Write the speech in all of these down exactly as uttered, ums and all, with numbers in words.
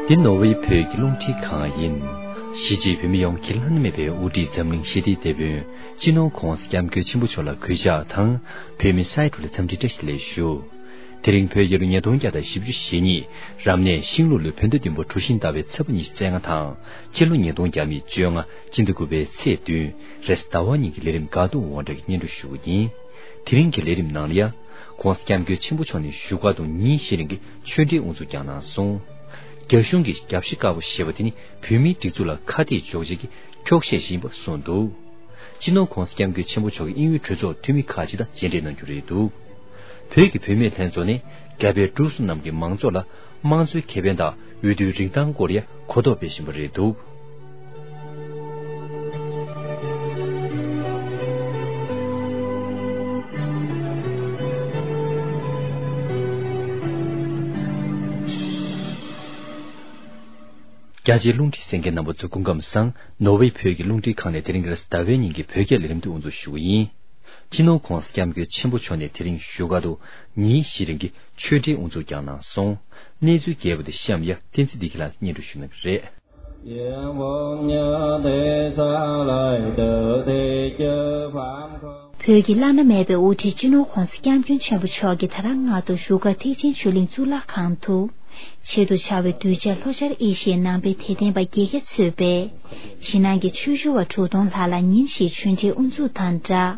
འདི་ནོར་ཝེ་བོད་ཀྱི་རླུང་འཕྲིན་ཁང་ཡིན། གཞིས་བྱེས་བོད་མི་ཡོངས་ཀྱི་བླ་ན་མེད་པའི་དབུ་ཁྲིད་འཛམ་གླིང་ཞི་བདེའི་དེད་དཔོན་སྤྱི་ནོར་༧གོང་ས་༧སྐྱབས་མགོན་ཆེན་པོ་མཆོག་ལ་གུས་ཕྱག་དང་། བོད་མི་སའི་གྲོགས་ལ་འཚམས་འདྲི་བཀྲ་ཤིས་བདེ་ལེགས་ཞུ། དེ་རིང་བོད་རྒྱལ་ལོ་ཉིས་སྟོང་བརྒྱ་དང་བཞི་བཅུ་ཞེ་གཉིས། རབ་གནས་ཤིང་ལུག་ལོའི་བོད་ཟླ་བདུན་པ་གྲུ་བཞི་ཟླ་བའི་ཚེས་པ་ཉི་ཤུ་རྩ་ལྔ་དང་། སྤྱི་ལོ་ཉིས་སྟོང་བརྒྱ་མེད་བཅོ་ལྔ། སྤྱི་ཟླ་དགུ་པའི་ཚེས་བདུན། རེས་གཟའ་ཟླ་བ་ཉིན་གྱི་ལས་རིམ་དགའ་སྡུག་དབང་གྲགས་ཀྱིས་སྙན་སྒྲོན་ཞུ་རྒྱུ་ཡིན། དེ་རིང་གི་ལས་རིམ་ནང་ལ་ཡ། ྋགོང་ས་ྋསྐྱབས་མགོན་ཆེན་པོ་མཆོག་ནས་བཞུགས་སྒར་དུ་ཉིན་བཞི་རིང་གི་ཆོས་འབྲེལ་དབུ་འཛུགས་ཀྱང་གནང་སོང་། རྒྱ་གཞུང་གི་རྒྱབ་ཤ་དཀར་པོ་ཞེས་པ་དེ་ནི་བོད་མིའི་སྒྲིག་འཛུགས་ལ་ཁ་གཏད་གཅོག་བྱེད་ཀྱི་འཁྱོག་བཤད་ཞིག་ཡིན་པ་གསུངས་འདུག། སྤྱི་ནོར་༧གོང་ས་༧སྐྱབས་མགོན་ཆེན་པོ་མཆོག་གིས་དབྱིན་ཡུལ་གྲོས་ཚོགས་འཐུས་མི་ཁག་ཅིག་དང་མཇལ་འཕྲད་གནང་རྒྱུ་རེད་འདུག། བོད་ཀྱི་བུད་མེད་ལྷན་ཚོགས་ནི་རྒྱ་བལ་འབྲུག་གསུམ་ནང་གི་མང་ཚོགས་ལ་དམངས་གཙོའི་ཁེ་ཕན་དང་འོས་བསྡུའི་རིན་ཐང་སྐོར་ཡ་གོ་རྟོགས་སྤེལ་བཞིན་པ་རེད་འདུག། རྒྱ་ཆེའི་རླུང་འཕྲིན་གསན་མཁན་རྣམ་པ་ཚོ་སྐུ་ཁམས་བཟང་། ནོར་ཝེ་བོད་ཀྱི་རླུང་འཕྲིན་ཁང་ནས་དེ་རིང་རེས་གཟའ་ཟླ་བའི་ཉིན་གྱི་བོད་སྐད་ལས་རིམ་དེ་དབུ་འཛུགས་ཞུ་གི་ཡིན། སྤྱི་ནོར་ྋགོང་ས་ྋསྐྱབས་མགོན་ཆེན་པོ་མཆོག་ནས་དེ་རིང་བཞུགས་སྒར་དུ་ཉིན་བཞི་རིང་གི་ཆོས་འབྲེལ་དབུ་འཛུགས་ཀྱང་གནང་སོང་། གནས་ཚུལ་རྒྱས་པ་དེ་གཤམ་ཡ་བསྟན་འཛིན་བདེ་སྐྱིད་ལགས་སྙན་སྒྲོན་ཞུ་གནང་གི་རེད། བོད་ཀྱི་བླ་ན་མེད་པའི་དབུ་ཁྲིད་སྤྱི་ནོར་ྋགོང་ས་ྋསྐྱབས་མགོན་ཆེན་པོ་མཆོག་གིས་ད་རང་སྔ་དྲོ་བཞུགས་སྒར་ཐེག་ཆེན་ཆོས་གླིང་གཙུག་ལག་ཁང་དུ། ཆེད་དུ་བཅར་བའི་གདུལ་བྱ་ལྷོ་ཤར་ཨེ་ཤི་ཡའི་ནང་པའི་དད་ལྡན་པ་བརྒྱད་བརྒྱ་གཙོས་པའི་ཕྱི་ནང་གི་ཆོས་ཞུ་བ་དྲུག་སྟོང་ལྷག་ལ་ཉིན་བཞིའི་ཆོས་འབྲེལ་དབུ་འཛུགས་དང་སྦྲགས།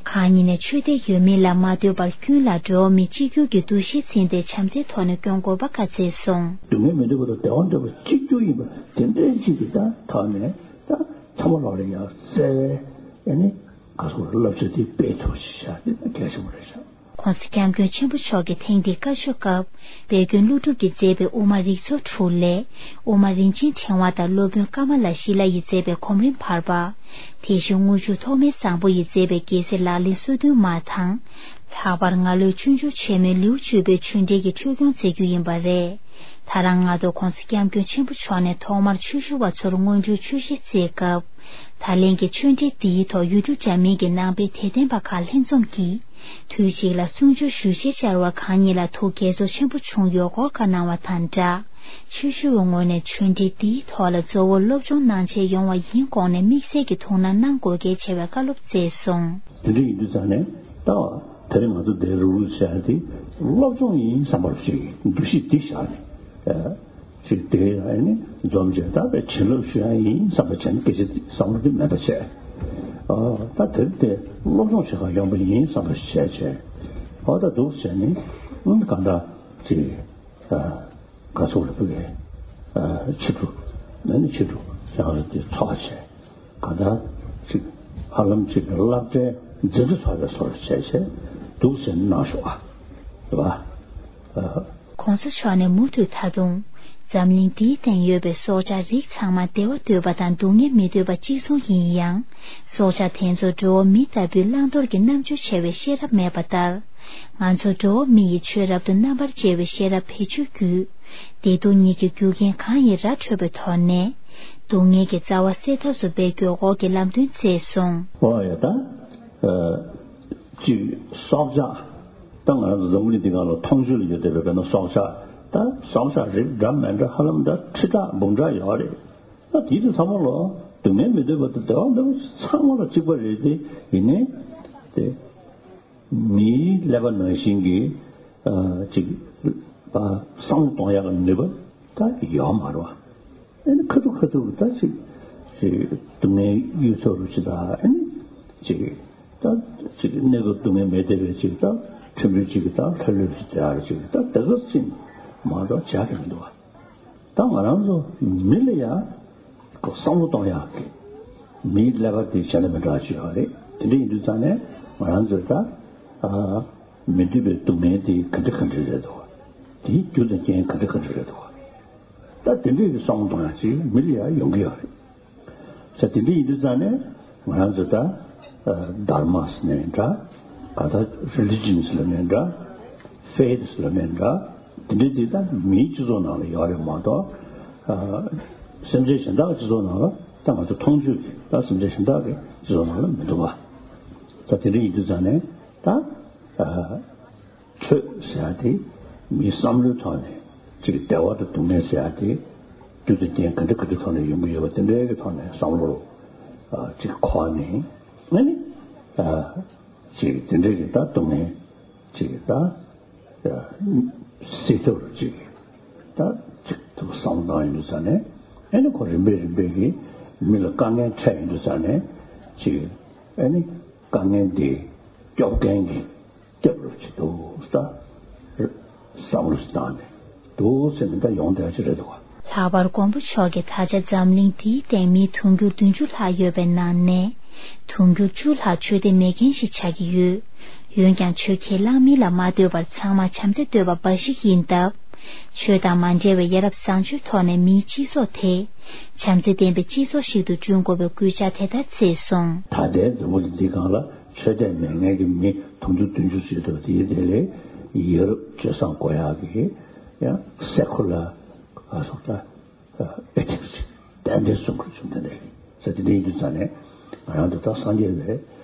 གང་ཉིད་ནས་ཆོས་དད་ཡོད་མེད་ལ་མ་ལྟོས་པར་ཀུན་ལ་འགྲོ་བ་མི་གཅིག་གྱུར་གྱི་འདུ་ཤེས་འཛིན་ཏེ་བྱམས་བརྩེའི་ཐོག་ནས་སྐྱོང་དགོས་པ་བཀའ་སྩལ་སོང་། སྡུག་བསྔལ་མི་འདོད་པ་དང་བདེ་བ་འདོད་པ་གཅིག་གྱུར་ཡིན་པ་དེ་འདྲའི་ཅིག་གི་ད་ཐོག་ནས་ད་ཚང་མ་ལོག་ལ་ཡང་བརྩེ་བའི་ཨ་ནི་ག་སོགས་བསླབ་བྱ་དེ་སྤེལ་ཐུབ་ཅིག་བྱ་དེ་གལ་ཆེན་པོ་རེད་ཤག། ྋགོང་ས་ྋསྐྱབས་མགོན་ཆེན་པོ་མཆོག་གིས་ཐེངས་འདིའི་བཀའ་ཆོས་སྐབས་དཔལ་མགོན་ཀླུ་སྒྲུབ་ཀྱིས་མཛད་པའི་དབུ་མ་རིགས་ཚོགས་དྲུག་ལས། དབུ་མ་རིན་ཆེན་ཕྲེང་བ་དང་སློབ་དཔོན་ཀ་མ་ལ་ཤཱི་ལ་ཡིས་མཛད་པའི་གོམ་རིམ་བར་པ། དེ་བཞིན་དངུལ་ཆུ་ཐོགས་མེད་བཟང་པོ་ཡིས་མཛད་པའི་རྒྱལ་སྲས་ལག་ལེན་སོ་བདུན་མ་དང་། ལྷག་པར་ང་ལོའི་ཆོས་འབྱུང་ཆེན་མོའི་ལེའུ་བཅུ་པའི་ཆོས་འབྲེལ་གྱི་འཁྲུལ་སྐྱོང་མཛད་རྒྱུ་ཡིན་པ་རེད། ད་རང་སྔ་དྲོ་ྋགོང་ས་ྋསྐྱབས་མགོན་ཆེན་པོ་མཆོག་ནས་ཐོག་མར་ཆོས་ཞུ་བ་ཚོར་སྔོན་འགྲོའི་ཆོས་གཞི་བསྩལ་སྐབས། ད་ལན་གྱི་ཆོས་འབྲེལ་འདིའི་ཐོག་ཡུལ་གྲུ་འདྲ་མིན་གྱི་ནང་པའི་དད་ལྡན་པ་ཁག་ལྷན་འཛོམས་ཀྱིས། དུས་གཅིག་ལ་གསུང་ཆོས་ཞུ་ཆེད་བཅར་བར་གང་ཉིད་ལ་ཐུགས་དགྱེས་ཚོར་ཆེན་པོ་བྱུང་ཡོད་སྐོར་བཀའ་གནང་བ་དང་སྦྲགས། ཆོས་ཞུ་བའི་ངོས་ནས་ཆོས་འབྲེལ་འདིའི་ཐོག་ལ་གཙོ་བོ་སློབ་སྦྱོང་གནང་ཆེད་ཡོང་བ་ཡིན་དགོངས་ནས་དམིགས་བསལ་གྱི་ཐུགས་སྣང་གནང་དགོས་གལ་ཆེ་བའི་བཀའ་སློབ་སྩལ་སོང་། དེ་འདྲ་ཡིན་དུས་ཙང་ནས་ད་དེ་རིང་ང་ཚོ་འདིར་རུབ་རུབ་བྱས་ཏེ་སློབ་སྦྱོང་ཡིན་བསམ་པར་ཞིག་འདུ་ཤེས་འདི་བཞག་ནས། ཅིག་དེ་ཨ་ནི་འཛོམས་བྱས་ད་བྱིན་རླབས་ཞུ་ཡ་ཡིན་བསམ་པ་བྱས་ན་སྐད་ཆ་བསམ་བློ་དེ་མེད་པ་བྱས། ཨ་ད་དེར་དེ་སློབ་སྦྱོང་བྱེད་གར་ཡོང་པ་ཡིན་བསམ་པ་བྱས་བྱས། ཨ་ད་འདུག་བྱས་ནས་ཨ་ནི་གང་ལྟར་ཅིག་ཨ་ག་ཚོད་རེ་ཕུལ་བའི་ཨ་ཕྱི་དྲོ་ཨ་ནི་ཕྱི་དྲོ་ཡང་རེ་དེ་ཚོགས་བྱས། གང་ལྟར་ཅིག་ཧ་ལམ་ཅིག་གི་སློབ་གྲྭའི་འཛིན་གྲྭ་ཚོགས་པའི་སོར་བྱས་བྱས་འདུག་ཟེར་གནང་ཤོག་ཨ། རེད་བ། ཨ། ྋགོང་ས་མཆོག་ནས་མུ་མཐུད་ད་དུང་། འཛམ་གླིང་འདིའི་སྟེང་ཡོད་པའི་སྲོག་ཆགས་རིགས་ཚང་མ་བདེ་བ་འདོད་པ་དང་སྡུག་བསྔལ་མི་འདོད་པ་གཅིག་མཚུངས་ཡིན་ཡང་། སྲོག་ཆགས་དེ་ཚོར་འགྲོ་བ་མི་ལྟ་བུའི་བླང་དོར་གྱི་རྣམ་འགྱུར་འཆལ་བའི་ཤེས་རབ་མེད་པ་ལྟར། ང་ཚོ་འགྲོ་བ་མི་ཡི་ཆོས་རབ་ཏུ་རྣམ་པར་འབྱེད་པའི་ཤེས་རབ་བེད་སྤྱོད་བརྒྱུད། བདེ་སྡུག་གཉིས་ཀྱི་རྒྱུ་རྐྱེན་གང་ཡིན་ར་འཕྲོད་པའི་ཐོག་ནས། སྡུག་བསྔལ་གྱི་རྩ་བ་སེལ་ཐབས་སུ་འབད་དགོས་སྐོར་གྱི་ལམ་སྟོན་བསྩལ་སོང་། ཨོ་ཡ་ད། ཨ། ཅིག་སྲོག་ཆགས། ད་ང་རང་ཚོ་འཛམ་བུ་གླིང་འདི་སྒང་ལ་མཐོང་ཆོས་ལ་ཡོད་བསྡད་པའི་དཔེར་ན་སྲོག་ཆགས། ད་སྲོག་ཆགས་རིགས་འདྲ་མི་འདྲ་ཧ་ལམ་ད་ཁྲི་ཕྲག་འབུམ་ཕྲག་ཡོད་རེད། ད་དེ་ཚོ་ཚང་མ་ལ་སྡུག་བསྔལ་མི་འདོད་པ་དང་བདེ་བ་འདོད་པ་ཚང་མ་ལ་གཅིག་པ་རེད་དེ། ཡིན་ནའི་དེ་མིའི་ཀླད་པ་ནང་བཞིན་གྱི་ཨ་ཅིག་བསམ་བློ་གཏོང་ཡག་གི་ནུས་པ་ད་ཡོད་མ་རེད་བ། ཨ་ནི་ཁ་ཐུག་ཁ་ཐུག་ད་ཅིག་ཅིག་སྡུག་བསྔལ་གཡུལ་ཐོག་རུ་ཅིག་ད་ཨ་ནི་ཅིག་ད་ཅིག་གནས་སྐབས་སྡུག་བསྔལ་མེད་བསྡད་པའི་ཅིག་ད་ཕྲན་བུ་ཅིག་གི་ད་ལྷོད་ལྷོད་ཅིག་དེ་ཨ་རུ་ཅིག་ད་དེ་ག་ཅིག་མ་གཏོགས་བྱ་གི་མི་འདུག་བ། ད་ང་རང་ཚོ་མི་ལ་ཡང་བསམ་བློ་གཏོང་ཡག་གི་མིའི་ཀླད་པ་དེ་བྱ་ལ་མི་འདྲ་བ་ཅིག་ཡོད་རེད། དེ་འདྲ་ཡིན་དུས་ཙང་ནས་ང་རང་ཚོས་ད་ཨ་མི་འདོད་པའི་སྡུག་བསྔལ་དེ་ག་འདྲ་ག་འདྲ་རེད་འདུག་བ། དེའི་རྒྱུ་དང་རྐྱེན་ག་འདྲ་ག་འདྲ་རེད་འདུག་བ། ད་དེ་འདྲའི་བསམ་བློ་གཏོང་ཡག་ཅིག་མི་ལ་ཡང་ཡོང་གི་ཡོད་རེད། ས་དེ་འདྲ་ཡིན་དུས་ཙང་ནས་ང་རང་ཚོ་ད་ཨ་དྷརྨ་ཟེར་ནའི་འདྲ། ག་ད་རི་ལི་ཇན་ཟེར་ནའི་འདྲ། ཕེ་ཐི་ཟེར་ནའི་འདྲ། དེ་འདྲ་དེ་ད་མིའི་སྤྱི་ཚོགས་ནང་ལ་ཡོད་རེད་མ་གཏོགས། ཨ་སེམས་ཅན་གཞན་དག་གི་སྤྱི་ཚོགས་ནང་ལ་ད་ང་ཚོ་མཐོང་ཆོས་ཀྱི་ད་སེམས་ཅན་གཞན་དག་གི་སྤྱི་ཚོགས་ནང་ལ་མི་འདུག་བ། ད་དེ་འདྲ་ཡིན་དུས་ཙང་ནས་ད་ཨ། ཆོས་ཟེར་ཡ་དེ་མིའི་བསམ་བློའི་ཐོག་ནས་ཅིག་བདེ་བ་དང་སྡུག་བསྔལ་ཟེར་ཡ་དེ་ དུས་དང་རྐྱེན་ག་འདྲ་ག་འདྲ་ཐོག་ནས་ཡོང་གི་ཡོད་པ་དེ་འདྲའི་གི་ཐོག་ནས་བསམ་བློ་ཨ་ཅིག་འཁོར་ནས་ཨ་ནི་ཨ་ཅིག་དེ་འདྲའི་གི་ད་སྡུག་བསྔལ་ཅིག་ད་ཨ་སེལ་ཐབས་ཅིག་ད་ཅིག་ཐུབ་བསམ་བློ་བཏང་ཡོང་དུས་ཙང་ནས་ཨ་ནི་ཁོ་རིམ་པས་རིམ་པས་གི་མི་ལ་དཀའ་ངལ་འཕྲད་ཡོང་དུས་ཙང་ནས་ཅིག་ཨ་ནི་དཀའ་ངལ་འདི་སྐྱོབ་མཁན་གྱི་སྐྱབས་རུ་ཅིག་འདུག་ས། བསམ་བློ་ཞིག་བཏང་ནས་འདུག་ཟེར་ནས་ད་ཡོང་བསྡད་ཀྱི་རེད་འདུག་ག། ལྷག་པར་མགོན་པོ་མཆོག་གིས་ད་ཆ་འཛམ་གླིང་འདིའི་སྟེང་མི་དུང་ཕྱུར་བདུན་ཅུ་ལྷག་ཡོད་པའི་ནང་ནས་དུང་ཕྱུར་བཅུ་ལྷག་ཆོས་དད་མེད་མཁན་ཞིག་ཆགས་ཀྱི་ཡོད། འོན་ཀྱང་ཆོས་ཁས་བླངས་མིན་ལ་མ་ལྟོས་པར་ཚང་མ་བྱམས་བརྩེ་ལྟོས་པ་འབའ་ཞིག་ཡིན་སྟབས། ཆོས་དང་མ་འབྲེལ་བའི་ཡ་རབས་བཟང་སྤྱོད་ཐོག་ནས་མིའི་སྤྱི་ཚོགས་དེ་བྱམས་བརྩེ་ལྡན་པའི་སྤྱི་ཚོགས་ཤིག་ཏུ་བསྐྲུན་དགོས་པའི་སྐུལ་ལྕག་དེ་ལྟར་བསྩལ་སོང་། ད་ལྟའི་འཛམ་བུ་གླིང་འདིའི་སྒང་ལ་ཆོས་དད་མེད་མཁན་གྱི་མི་དུང་ཕྱུར་བདུན་ཅུ་ཙམ་འདུག་དེའི་གྲས་ལས་ཡ་རབས་སྤྱོད་བཟང་དགོས་ཡག་གི་ཡང་སེ་ཁུ་ལར་ཨ་སོགས་ད་ཨེ་ཐིག་སི་རྟེན་འབྲེལ་སྲུང་དགོས་བྱུང་དེ་འདྲ་ཡིན་ས་དེ་འདྲ་ཡིན་དུས་ཙང་ནས་ང་རང་ཚོ་ད་སངས་རྒྱས་པའི་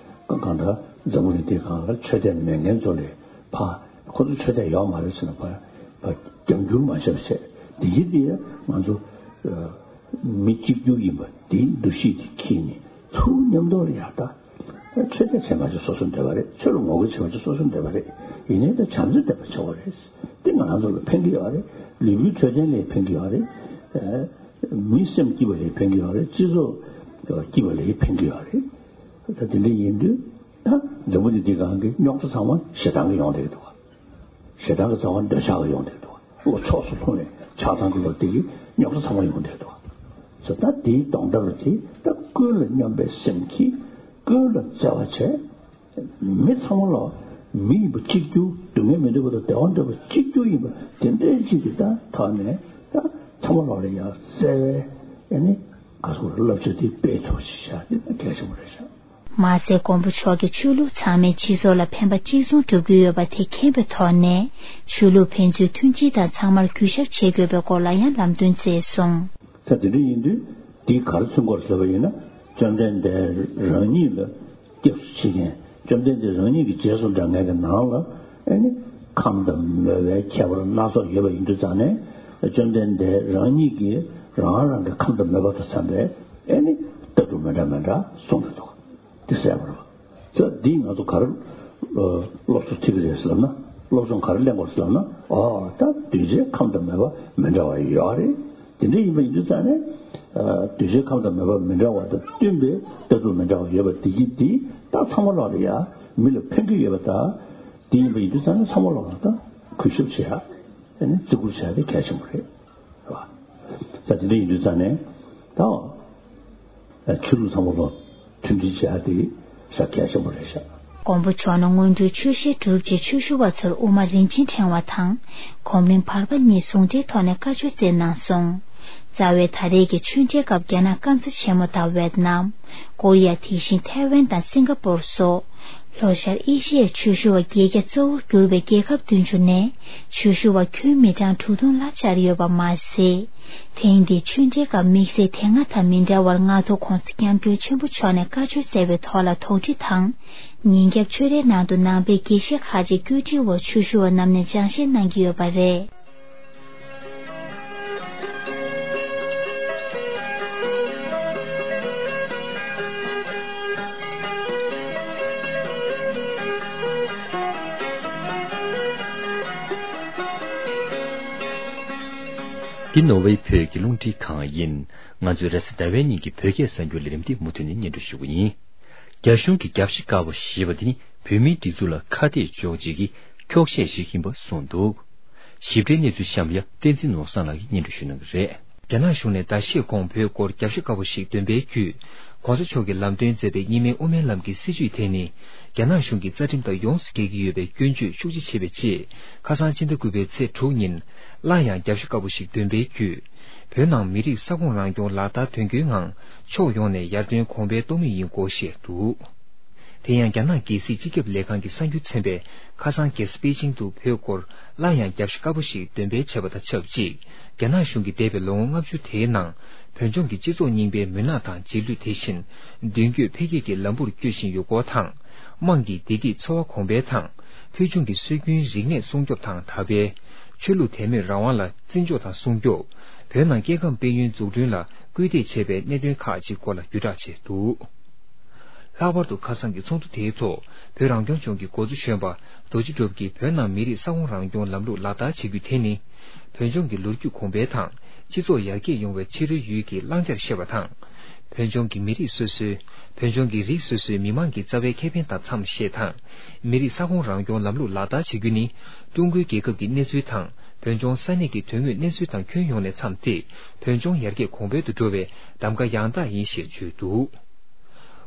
གང་ལྟར་འཛམ་བུ་གླིང་འདིའི་སྒང་ལ་ཆོས་དད་མེད་མཁན་ཚོ་ལས་ཕ་ཁོ་ཚོ་ཆོས་དད་ཡོད་མ་རེད་ཟེར་ན་ཕ་ཕ་རྒྱབ་འགྱུར་མ་བྱས་པ་བྱས་དེ་ཡིན་དེ་ང་ཚོ་མི་གཅིག་གྱུར་ཡིན་པ་དེའི་འདུ་ཤེས་དེ་འཁྱེར་ནས་ཚུར་མཉམ་དུ་ལ་ཡར་ད། ཆོས་དད་བྱེད་མ་བྱེད་སོ་སོའི་འདོད་པ་རེད། ཆོས་ལ་ངོ་རྒོལ་བྱེད་མ་བྱེད་སོ་སོའི་འདོད་པ་རེད། ཡིན་ནའི་ད་བྱམས་བརྩེ་ལྡན་པ་བྱེད་དགོས་རེད། དེ་ང་རང་ཚོ་ལ་ཕན་གྱི་ཡོད་རེད། ལུས་པོའི་འཕྲོད་བསྟེན་ལ་ཕན་གྱི་ཡོད་རེད། ཨ་མི་སེམས་སྐྱིད་པ་ལ་ཕན་གྱི་ཡོད་རེད། སྤྱི་ཚོགས་སྐྱིད་པ་ལ་ཕན་གྱི་ཡོད་རེད། ད་དེ་འདྲ་ཡིན་དུས་ད་འཛམ་བུ་གླིང་འདིའི་སྒང་གི་རྙོག་དྲ་ཚང་མ་ཞེ་སྡང་གིས་ཡོང་བསྡད་ཀྱི་འདུག་བ། ཞེ་སྡང་གི་རྩ་བ་འདོད་ཆགས་ཀྱིས་ཡོང་བསྡད་འདུག་བ། བློ་ཕྱོགས་སུ་ལྷུང་ནས་ཆགས་སྡང་གི་བློ་དེ་གིས་རྙོག་དྲ་ཚང་མ་ཡོང་བསྡད་འདུག་བ། ད་དེའི་སྡོང་གྲོགས་དེ་ད་ཀུན་ལ་སྙོམས་པའི་སེམས་ཀྱིས་ཀུན་ལ་བརྩེ་བ་བྱས། མི་ཚང་མ་ལ་མི་ཡིན་པ་གཅིག་གྱུར། སྡུག་བསྔལ་མི་འདོད་པ་དང་བདེ་བ་འདོད་པ་གཅིག་གྱུར་ཡིན་པ་དེ་འདྲའི་གཅིག་གི་ད་ཐོག་ནས་ད་ཚང་མ་ལ་ལ་ཡང་བརྩེ་བའི་ཨ་ནི་ག་སོགས་བསླབ་བྱ་དེ་སྤེལ་ཐུབ་ཅིག་བྱ་དེ་ད་གལ་ཆེན་པོ་རེད་ཤག་མ་ཟད་མགོན་པོ་མཆོག་གིས་ཆོས་ལུགས་ཚང་མས་སྤྱི་ཚོགས་ལ་ཕན་པ་གཅིག་མཚུངས་སྒྲུབ་ཀྱི་ཡོད་པ་དེ་མཁྱེན་པའི་ཐོག་ནས་ཆོས་ལུགས་ཕན་ཚུན་མཐུན་སྒྲིལ་དང་ཚང་མར་གུས་ཞབས་བྱེད་དགོས་པའི་སྐོར་ལ་ཡང་ལམ་སྟོན་བསྩལ་སོང་། ད་དེ་འདྲ་ཡིན་དུས་འདི་ག་རེ་མཚོན་གྱི་ཡོད་རེད་ཟེར་བ་ཡིན་ན། བཅོམ་ལྡན་འདས་རང་ཉིད་ལ་སྐྱབས་སུ་མཆི་མཁན། བཅོམ་ལྡན་འདས་རང་ཉིད་ཀྱི་རྗེས་སུ་འབྲང་མཁན་གྱི་ནང་ལ་ཨ་ནི་ཁམས་དང་མོས་པའི་ཁྱད་པར་སྣ་ཚོགས་ཡོད་པ་ཡིན་དུས་ཙང་ནས། བཅོམ་ལྡན་འདས་རང་ཉིད་ཀྱིས་རང་རང་གི་ཁམས་དང་མོས་པ་དང་འཚམ་པའི་ཨ་ནི་ལྟ་གྲུབ་མི་འདྲ་མི་འདྲ་གསུངས་ཡོད་འདུག་དེ་གསལ་པོ་རེད་པ། ད་འདིས་ང་ཚོ་ག་རེ་ཨ་སློབ་གསོ་ཐེབས་ཀྱི་རེད་ཟེར་ལབ་ན། སློབ་སྦྱོང་ག་རེ་ལེན་དགོས་ཟེར་ལབ་ན། ཨོ་ད་གདུལ་བྱའི་ཁམས་དང་མོས་པ་མི་འདྲ་བ་ཡོད་རེད། དེ་འདྲ་ཡིན་པ་ཡིན་དུས་ཙང་ནས་ཨ་གདུལ་བྱའི་ཁམས་དང་མོས་པ་མི་འདྲ་བ་དང་བསྟུན་པའི་ལྟ་གྲུབ་མི་འདྲ་བ་ཡོད་པ་དེ་གི་དེ་ད་ཚང་མ་ལོག་ལ་ཡ་མི་ལ་ཕན་གྱི་ཡོད་པ། ད་དེ་ཡིན་པ་ཡིན་དུས་ཙང་ནས་ཚང་མ་ལོག་ལ་ད་གུས་ཞབས་བྱེད་ཡ་ཨ་ནི་བརྩི་བཀུར་བྱེད་ཡ་དེ་གལ་ཆེན་པོ་རེད། རེད་པ། ད་དེ་འདྲ་ཡིན་དུས་ཙང་ནས་ད་ཆོས་ལུགས་ཚང་མ་ལོག་མཐུན་སྒྲིལ་བྱེད་ཡ་དེ་ཤ་གལ་ཆེན་པོ་རེད་ཤག་མགོན་པོ་མཆོག་ནས་སྔོན་འགྲོའི་ཆོས་བཤད་གྲུབ་རྗེས་ཆོས་ཞུ་བ་ཚོར་དབུ་མ་རིན་ཆེན་ཕྲེང་བ་དང་། གོམ་རིམ་བར་པ་གཉིས་ཟུང་འབྲེལ་ཐོག་ནས་བཀའ་ཆོས་སྩལ་གནང་སོང་། རྩ་བའི་ད་རེས་ཀྱི་ཆོས་འབྲེལ་སྐབས་རྒྱ་ནག་སྐམ་ས་ཆེན་མོ་དང་ཝེད་ནམ། ཀོ་རི་ཡ། དེ་བཞིན་ཐའེ་ཝན་དང་སིང་ག་པོར་སོགས། ལྷོ་ཤར་ཨེ་ཤི་ཡའི་ཆོས་ཞུ་བ་བརྒྱད་བརྒྱ་གཙོ་བོར་གྱུར་པའི་རྒྱལ་ཁབ་བདུན་ཅུ་ནས་ཆོས་ཞུ་བ་ཁྱོན་མི་གྲངས་དྲུག་སྟོང་ལ་བཅར་ཡོད་པ་མ་ཟད། ཐེངས་འདིའི་ཆོས་འབྲེལ་སྐབས་དམིགས་བསལ་དེ་སྔ་དང་མི་འདྲ་བར་མངའ་ཐང་༸གོང་ས་༸སྐྱབས་མགོན་ཆེན་པོ་མཆོག་ནས་བཀའ་ཆོས་སྩལ་བའི་ཐོག་ལ་དོགས་འདྲི་དང་། ཉིན་རྒྱབ་ཆོས་རའི་ནང་དུ་ནང་པའི་དགེ་བཤེས་ཁག་ཅིག་བཀོད་སྒྲིག་འོག་ཆོས་ཞུ་བ་རྣམས་ནས་སྦྱང་བཤད་གནང་གི་ཡོད་པ་རེད། འདི་ནོར་ཝེ་བོད་ཀྱི་རླུང་འཕྲིན་ཁང་ཡིན། ང་ཚོས་རེས་གཟའ་ཟླ་བའི་ཉིན་གྱི་བོད་སྐད་གསར་འགྱུར་ལས་རིམ་འདི་མུ་མཐུད་ནས་སྙན་སྒྲོན་ཞུ་གི་ཡིན། རྒྱ་གཞུང་གི་རྒྱབ་ཤ་དཀར་པོ་ཞེས་པ་འདི་ནི་བོད་མིའི་སྒྲིག་འཛུགས་ལ་ཁ་གཏད་གཅོག་བྱེད་ཀྱི་འཁྱོག་བཤད་ཞིག་ཡིན་པ་གསུངས་འདུག་ཞིབ་ཕྲའི་གནས་ཚུལ་གཤམ་ཡ་བསྟན་འཛིན་ནོར་བཟང་ལགས་ཀྱིས་སྙན་སྒྲོན་ཞུ་གནང་གི་རེད། རྒྱ་ནག་གཞུང་ནས་ཟླ་ཤས་གོང་བོད་སྐོར་རྒྱབ་ཤ་དཀར་པོ་ཞིག་འདོན་པའི་བརྒྱུད། ༸གོང་ས་མཆོག་གིས་ལམ་སྟོན་མཛད་པའི་གཉིས་སྨན་དབུ་མའི་ལམ་གྱི་སྲིད་བྱུས་དེ་ནི། རྒྱ་ནག་གཞུང་གི་རྩ་ཁྲིམས་དང་ཡོངས་སུ་འགལ་གྱི་ཡོད་པའི་སྐྱོན་བརྗོད་ཤུགས་ཆེ་བྱས་པའི་རྗེས། ཁ་སང་ཕྱི་ཟླ་དགུ་པའི་ཚེས་དྲུག་ཉིན། སླར་ཡང་རྒྱབ་ཤ་དཀར་པོ་ཞིག་འདོན་པའི་བརྒྱུད། བོད་ནང་མི་རིགས་ས་ཁོངས་རང་སྐྱོང་ལག་བསྟར་དོན་འཁྱོལ་ངང་ཕྱོགས་ཡོངས་ནས་ཡར་ཐོན་གོང་འཕེལ་གཏོང་མུས་ཡིན་སྐོར་བཤད་འདུག་དེ་ཡང་རྒྱ་ནག་རྒྱལ་སྲིད་སྤྱི་ཁྱབ་ལས་ཁང་གི་གསར་འགྱུར་ཚན་པས་ཁ་སང་རྒྱལ་ས་པེ་ཅིང་དུ་བོད་སྐོར་སླར་ཡང་རྒྱབ་ཤ་དཀར་པོ་ཞིག་འདོན་སྤེལ་བྱས་པ་དང་ཆབས་ཅིག་རྒྱ་ནག་གཞུང་གིས་འདས་པའི་ལོ་ངོ་ལྔ་བཅུ་དེའི་ནང་བོད་ལྗོངས་ཀྱི་སྤྱི་ཚོགས་རྙིང་པའི་མུན་ནག་དང་རྗེས་ལུས་དེ་བཞིན་མདུན་སྐྱོད་འཕེལ་རྒྱས་ཀྱི་ལམ་བུར་བསྐྱོད་བཞིན་ཡོད་སྐོར་དང་། དམངས་ཀྱི་བདེ་སྐྱིད་འཚོ་བ་གོང་འཕེལ་དང་། ཕུལ་བྱུང་གི་སྲོལ་རྒྱུན་རིག་གནས་སྲུང་སྐྱོབ་དང་དར་སྤེལ། ཆོས་ལུགས་དད་མོས་རང་དབང་ལ་བརྩི་འཇོག་དང་སྲུང་སྐྱོབ། བོད་ནང་སྐྱེ་ཁམས་དཔལ་ཡོན་འཛུགས་སྐྲུན་ལ་སྐུལ་འདེད་བྱེད་པའི་གནད་དོན་ཁག་ཅིག་སྐོར་ལ་བརྒྱུད་བསྒྲགས་བྱས་འདུག། ལྷག་པར་དུ་ཁ་སང་གི་ཚོགས་འདུ་དེའི་ཐོག་བོད་རང་སྐྱོང་ལྗོངས་ཀྱི་འགོ་གཙོ་གཞོན་པ་རྡོ་རྗེ་གྲུབ་ཀྱིས་བོད་ནང་མི་རིགས་ས་ཁོངས་རང་སྐྱོང་ལམ་ལུགས་ལག་བསྟར་བྱེད་རྒྱུ་དེ་ནི། བོད་ལྗོངས་ཀྱི་ལོ་རྒྱུས་གོང་འཕེལ་དང་སྤྱི་ཚོགས་ཡར་རྒྱས་ཡོང་བའི་ཕྱི་རོལ་ཡུལ་གྱི་བླང་བྱར་བཤད་པ་དང་། བོད་ལྗོངས་ཀྱི་མི་རིགས་སོ་སོའི། བོད་ལྗོངས་ཀྱི་རིགས་སོ་སོའི་མི་དམངས་ཀྱི་རྩ་བའི་ཁེ་ཕན་དང་འཚམས་ཤེས་དང་། མི་རིགས་ས་ཁོངས་རང་སྐྱོང་ལམ་ལུགས་ལག་བསྟར་བྱེད་རྒྱུ་ནི། ཀྲུང་གོའི་རྒྱལ་ཁབ་ཀྱི་གནས་ཚུལ་དང་། བོད་ལྗོངས་ས་གནས་ཀྱི་དོན་དངོས་གནས་ཚུལ་དང་ཁྱོན་ཡོངས་ནས་འཚམས་ཏེ། བོད་ལྗོངས་ཡར་རྒྱས་གོང་འཕེལ་དུ་འགྲོ་བའི་གདམ་ག་ཡང་དག་ཡིན་ཞེས་བརྗོད་འདུག།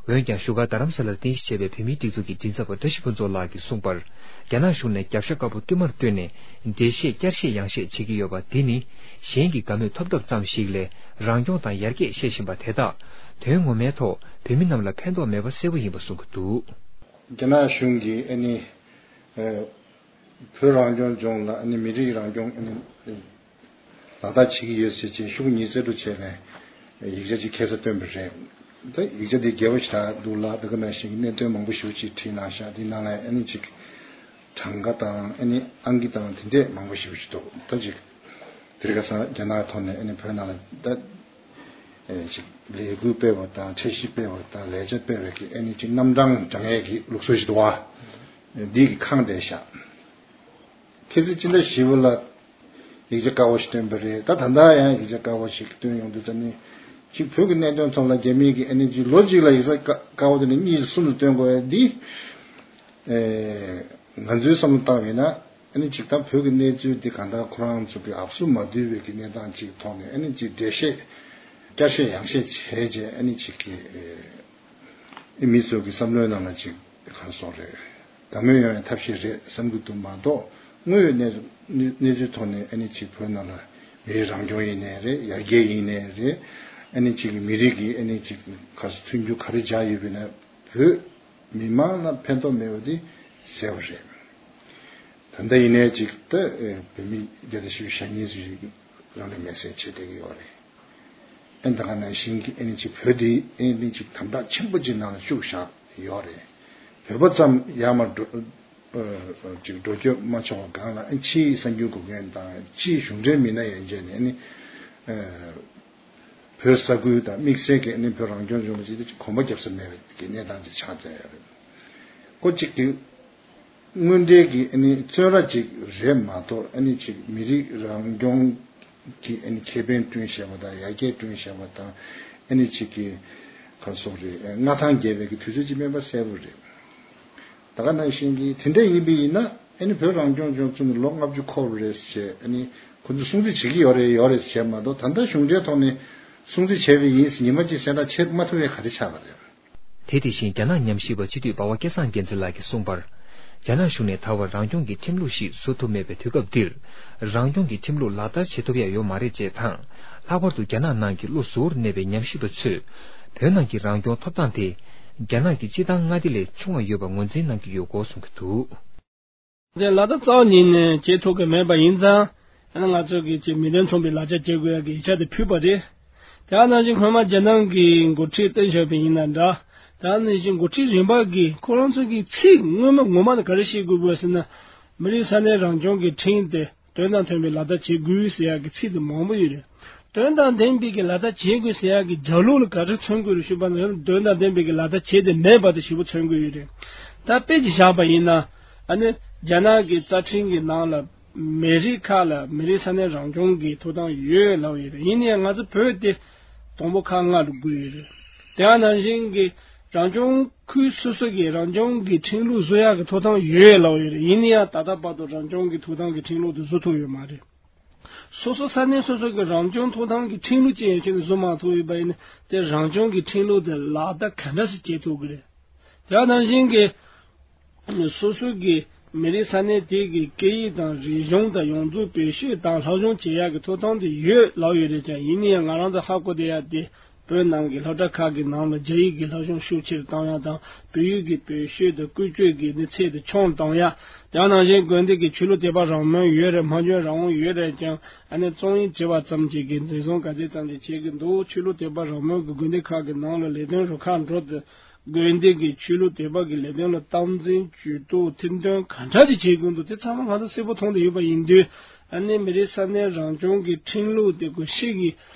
འོན་ཀྱང་བཞུགས་སྒར་རྡ་རམ་ས་ལར་རྟེན་གཞི་བྱས་པའི་བོད་མིའི་སྒྲིག་འཛུགས་ཀྱི་མགྲིན་ཚབ་པ་བཀྲ་ཤིས་ཕུན་ཚོགས་ལགས་ཀྱིས་གསུངས་པར། རྒྱ་ནག་གཞུང་ནས་རྒྱབ་ཤ་དཀར་པོ་བསྟུད་མར་བཏོན་ནས་འགྲེལ་བཤད་བསྐྱར་བཤད་ཡང་བཤད་བྱེད་ཀྱི་ཡོད་པ་འདི་ནི་གཞན་གྱི་དགའ་མོས་ཐོབ་ཐབས་ཙམ་ཞིག་ལས་རང་སྐྱོང་དང་ཡར་རྒྱས་བཤད་བཞིན་པ་དེ་དག་དོན་ངོ་མའི་ཐོག་བོད་མི་རྣམས་ལ་ཕན་ཐོགས་མེད་པ་གསལ་པོ་ཡིན་པ་གསུང་གི་འདུག། རྒྱ་ནག་གཞུང་གིས་ཨ་ནི་ཨ་བོད་རང་སྐྱོང་ལྗོངས་ལ་ཨ་ནི་མི་རིགས་རང་སྐྱོང་ཨ་ནི་ལག་བསྟར་བྱེད་ཀྱི་ཡོད་ཟེར་བྱས་ཤུགས་ཉིས་བརྩེ་དུ་བྱས་ནས་ཡིག་ཆ་ཅིག་ཁ་སང་བཏོན་པ་རེད། ད་ཡིག་ཆ་དེ་རྒྱས་པོ་ཞེ་དྲག་འདུག་ལ། ད་ག་ནང་བཞིན་གྱི་གནད་དོན་མང་པོ་ཞེ་པོ་ཅིག་བྲིས་གནང་ཤག། དེ་ནང་ལ་ཨ་ནི་ཅིག་གྲངས་ཀ་དང་ཨ་ནི་ཨང་ཀི་དང་དེ་འདྲས་མང་པོ་ཞེ་པོ་ཅིག་འདུག། ད་ཅིག་དེ་རིང་ཁ་སང་རྒྱ་ནག་ཐོག་ནས་ཨ་ནི་བོད་ནང་ལ་ད་ཨེ་ཅིག་ལས་འགུལ་སྤེལ་བ་དང་འཆར་གཞི་སྤེལ་བ་དང་ལས་འཆར་སྤེལ་བའི་གི་ཨ་ནི་ཅིག་རྣམ་གྲངས་བགྲང་ཡས་ཀྱི་ལུགས་སྲོལ་ཞིག་འདུག་བ། འདི་གི་ཁག་འདྲ་ཤག། ཁ་སང་སྤྱི་ཟླ་བཞི་པ་ལ་ཡིག་ཆ་དཀར་པོ་ཞིག་བཏོན་པ་རེད། ད་ད་ལྟ་ཡང་ཡིག་ཆ་དཀར་པོ་ཞིག་བཏོན་ཡོང་དུས་ད་ནི་ཅིག་བོད་ཀྱི་གནད་དོན་ཐོག་ལ་རྒྱ་མི་གི་ཨ་ནི་ཅིག་ལོ་གཅིག་ལ་ཡིག་ཆ་དཀར་པོ་དེ་ནི་གཉིས་གསུམ་ལ་བཏོན་དགོས་ཡ་འདི། ཨེ་ང་ཚོའི་བསམ་བློ་བཏང་བས་ན་ཨ་ནི་ཅིག་ད་བོད་ཀྱི་གནས་ཚུལ་འདི་གང་ལྟར་ཁོ་རང་ཚོ་གི་ཨབ་སུ་མ་བསྡུས་པའི་གི་གནས་སྟངས་ཅིག་ཐོག་ནས་ཨ་ནི་ཅིག་འགྲེལ་བཤད་བསྐྱར་བཤད་ཡང་བཤད་བྱས་རྗེས་ཨ་ནི་ཅིག་གི་ཨེ་མི་ཚོ་གི་བསམ་བློའི་ནང་ལ་ཅིག་ག་རེ་ཟེར་དགོས་རེད། དགའ་མོས་ཡོང་བའི་ཐབས་ཤེས་རེད་བསམ་གྱི་འདུག་མ་གཏོགས་དངོས་ཡོད་གནས་གནས་ཚུལ་ཐོག་ནས་ཨ་ནི་ཅིག་བོད་ནང་ལ་མི་རིགས་རང་སྐྱོང་ཡིན་ནའི་རེད། ཡར་རྒྱས་ཡིན་ནའི་རེད། ཨ་ནི་ཅིག་མི་རིགས་ཀྱི་ཨ་ནི་ཅིག་ག་རེ་ཟེར་མཐུན་འགྱུར་ག་རེ་སྦྱར་ཡོད་པ་ཡིན་ན་བོད་མི་མང་ལ་ཕན་ཐོགས་མེད་པ་དེ་གསལ་པོ་རེད། ད་ལྟ་ཡིན་ནའི་ཅིག་ད་ཨེ་བོད་མི་བརྒྱ་དང་བཞི་བཅུ་ཞེ་གཉིས་ཙམ་ཞིག་རང་ལུས་མེར་སྲེག་བྱེད་བསྡད་ཀྱི་ཡོད་རེད། ཨེ་ད་ག་ནང་བཞིན་གྱི་ཨེ་ནི་ཅིག་བོད་དེ་ཨེ་ནི་ཅིག་དམ་དྲག་ཆེན་པོ་ཅིག་ནང་ལ་བཅུག་བཞག་ཡོད་རེད། བོད་པ་ཙམ་ཡར་མར་འགྲོ་ཨ་ཅིག་འགྲོ་སྐྱོད་མ་ཆོག་པ་སྒང་ལ་ཨེ་ཕྱིའི་གསར་འགྱུར་འགོད་མཁན་དང་ཕྱིའི་གཞུང་འབྲེལ་མི་སྣ་ཡན་ཆད་ནས་ཨེ་ནི་ཨ་བོད་ས་ཁུལ་དང་དམིགས་བསལ་གྱི་ཨ་ནི་བོད་རང་སྐྱོང་ལྗོངས་ལ་ཅིག་གོམ་པ་རྒྱབ་ས་མེད་པའི་གནས་སྟངས་ཅིག་ཆགས་བསྡད་ཡོད་རེད། ཁོ་གཅིག་གི་དངོས་འབྲེལ་གྱི་ཨ་ནི་བཙོན་ར་ཅིག་རེད་མ་གཏོགས་ཨ་ནི་ཅིག་མི་རིགས་རང་སྐྱོང་གི་ཨ་ནི་ཁེ་ཕན་བསྐྲུན་བཞག་པ་དང་ཡར་རྒྱས་བསྐྲུན་བཞག་པ་དང་ཨ་ནི་ཅིག་གི་ག་རེ་ཟེར་དགོས་རེད། མངའ་ཐང་རྒྱས་པའི་གི་དུས་ཚོད་ཅིག་མིན་པ་གསལ་པོ་རེད། ད་ག་ནང་བཞིན་གྱི་དེ་འདྲ་ཡིན་པ་ཡིན་ན་ཨ་ནི་བོད་རང་སྐྱོང་ལྗོངས་བཙུགས་ནས་ལོ་ལྔ་བཅུ་འཁོར་བ་རེད་ཟེར་ཨ་ནི་ཁོ་ཚོས་སྲུང་བརྩི་བྱེད་ཀྱི་ཡོད་རེད་ཡོད་རེད་ཟེར་མ་གཏོགས་ད་ལྟ་གཞུང་འབྲེལ་ཐོག་ནས་སྲུང་བརྩི་བྱས་པ་ཡིན་ཟེར་ཉི་མ་གཅིག་གསལ་བསྒྲགས་བྱེད་མ་ཐུབ་པའི་ག་རེ་ཆགས་པ་རེད། དེ་དེ་བཞིན་རྒྱ་ནག་ཉམས་ཞིབ་པ་སྤྱི་འཐུས་འབའ་བ་སྐལ་བཟང་རྒྱལ་མཚན་ལགས་ཀྱིས་གསུངས་པར། རྒྱ་ནག་གཞུང་ནས་ད་བར་རང་སྐྱོང་གི་ཁྲིམས་ལུགས་ཤིག་བཟོ་ཐུབ་མེད་པའི་དུས་སྐབས་འདིར། རང་སྐྱོང་གི་ཁྲིམས་ལུགས་ལག་བསྟར་བྱེད་ཐུབ་ཡ་ཡོད་མ་རེད་ཅེས་དང་། ལྷག་པར་དུ་རྒྱ་ནག་ནང་གི་བློ་གཟུ་བོར་གནས་པའི་ཉམས་ཞིབ་པ་ཚོས། བོད་ནང་གི་རང་སྐྱོང་ཐོབ་ཐང་དེ། རྒྱ་ནག་གི་སྤྱི་བཏང་མངའ་སྡེ་ལས་ཆུང་བ་ཡོད་པ་ངོས་འཛིན་གནང་གི་ཡོད་སྐོར་གསུང་གི་འདུག། དེ་ལག་བསྟར་རྩ་བ་ཉིད་ནས་བྱེད་ཐུབ་ཀྱི་མེད་པ་ཡིན་ཙང་། ཨ་ནི་ང་ཚོ་གིས་ཅིག་མི་དོན་མཚུངས་པའི་ལག་ཆ་བྱེད་དགོས་ཡ་གི་ཡིག་ཆ་དེ་ཕུལ་བ་རེད། དེ་ནང་བཞིན་སྔོན་མ་རྒྱ་ནག་གི་འགོ་ཁྲིད་ཏེང་ཞའོ་ཕིང་ཡིན་ན་འདྲ། དེ་ནང་བཞིན་འགོ་ཁྲིད་རིམ་པ་གིས་ཁོ་རང་ཚོ་གི་ཚིག་སྔོན་མ་ངོ་མ་དེ་ག་རེ་བཤད་དགོས་པ་ཟེར་ན། མི་རིགས་ས་གནས་རང་སྐྱོང་གི་ཁྲིམས་དེ་དོན་དང་མཐུན་པའི་ལག་བསྟར་བྱེད་དགོས་ཟེར་ཡ་གི་ཚིག་དེ་མང་པོ་ཡོད་རེད། དོན་དང་ལྡན་པའི་གི་ལག་བསྟར་བྱེད་དགོས་ཟེར་ཡ་གི་རྒྱབ་ལོགས་ལ་ག་རེ་མཚོན་དགོས་རེད་ཞུས་པ་ན། དོན་དང་ལྡན་པའི་གི་ལག་བསྟར་བྱེད་དེ་མེད་པ་དེ་ཞེ་པོ་མཚོན་གྱི་ཡོད་རེད། ད་དཔེ་ཅིག་བཞག་པ་ཡིན་ན། ཨ་ནི་རྒྱ་ནག་གི་རྩ་ཁྲིམས་ཀྱི་ནང་ལ་མི་རིགས་ཁག་ལ་མི་རིགས་ས་གནས་རང་སྐྱོང་གི་ཐོབ་ཐང་ཡོད་ལབ་ཡོད་རེད། ཡིན་ན་ཡང་ང་ཚོ་བོད་དེ་དང་པོ་ཁག་ལྔ་རུ་བགོས་ཡོད་རེད། དེ་ནང་བཞིན་གྱི་རང་སྐྱོང་ཁུལ་སོ་སོ་གི་རང་སྐྱོང་གི་ཁྲིམས་ལུགས་བཟོ་ཡག་གི་ཐོབ་ཐང་ཡོད་ལབ་ཡོད་རེད། ཡིན་ན་ཡང་ད་ལྟ་བར་དུ་རང་སྐྱོང་གི་ཐོབ་ཐང་གི་ཁྲིམས་ལུགས་དེ་བཟོ་ཐུབ་ཡོད་མ་རེད། སོ་སོ་ས་གནས་སོ་སོ་གི་རང་སྐྱོང་ཐོབ་ཐང་གི་ཁྲིམས་ལུགས་ཅིག་ཡང་ཁྱོན་ནས་བཟོ་མ་ཐུབ་ཡོད་པ་ཡིན་ན། དེ་རང་སྐྱོང་གི་ཁྲིམས་ལུགས་དེ་ལག་བསྟར་ག་འདྲ་ཞིག་བྱེད་ཐུབ་ཀྱི་རེད། དེ་ནང་བཞིན་གྱི་སོ་སོ་གི་མི་རིགས་ས་གནས་དེ་གི་སྐད་ཡིག་དང་རིག་གཞུང་དང་ཡོངས་རྫོགས་བེད་སྤྱོད་དང་སློབ་སྦྱོང་བྱེད་ཡག་གི་ཐོབ་ཐང་དེ་ཡོད་ལབ་ཡོད་རེད་ཀྱང་། ཡིན་ན་ཡང་ང་རང་ཚོ་ཧ་གོ་བསྡད་ཡག་དེ། བོད་ནང་གི་སློབ་གྲྭ་ཁག་གི་ནང་ལ་རྒྱ་ཡིག་གི་སློབ་སྦྱོང་ཤུགས་ཆེར་གཏོང་ཡ་དང་། བོད་ཡིག་གི་བེད་སྤྱོད་དང་བཀོལ་སྤྱོད་ཀྱི་ནི་ཚད་དེ་ཆུང་གཏོང་ཡ། དེ་ནང་བཞིན་དགོན་སྡེ་གི་ཆོས་ལུགས་དད་པ་རང་མོས་ཡོད་རེད། སྨྲ་བརྗོད་རང་དབང་ཡོད་རེད་ཀྱང་། ཨ་ནི་རྩོམ་ཡིག་བྲིས་པ་ཙམ་གྱིས་གི་འཛིན་བཟུང་ག་ཚད་ཙམ་ཞིག་བྱེད་ཀྱི་འདུག། ཆོས་ལུགས་དད་པ་རང་མོས་ཀྱི་དགོན་སྡེ་ཁག་གི་ནང་ལ་ལས་དོན་རུ་ཁག་འགྲོ་དུས། དགོན་སྡེ་གི་ཆོས་ལུགས་དད་པ་གི་ལས་དོན་ལ་སྟངས་འཛིན་ཇུས་གཏོགས་མཐུན་འདོན་ག་འདྲ་ཅིག་བྱེད་དགོས་འདུག། དེ་ཚང་མ་ང་ཚོ་གསལ་པོ་མཐོང་བསྡད་ཡོད་པ་ཡིན་དུས། ཨ་ནི་མི་རིགས་ས་གནས་རང་སྐྱོང་གི་ཁྲིམས་ལུགས་དེ་ཁོ་ཤི་གི་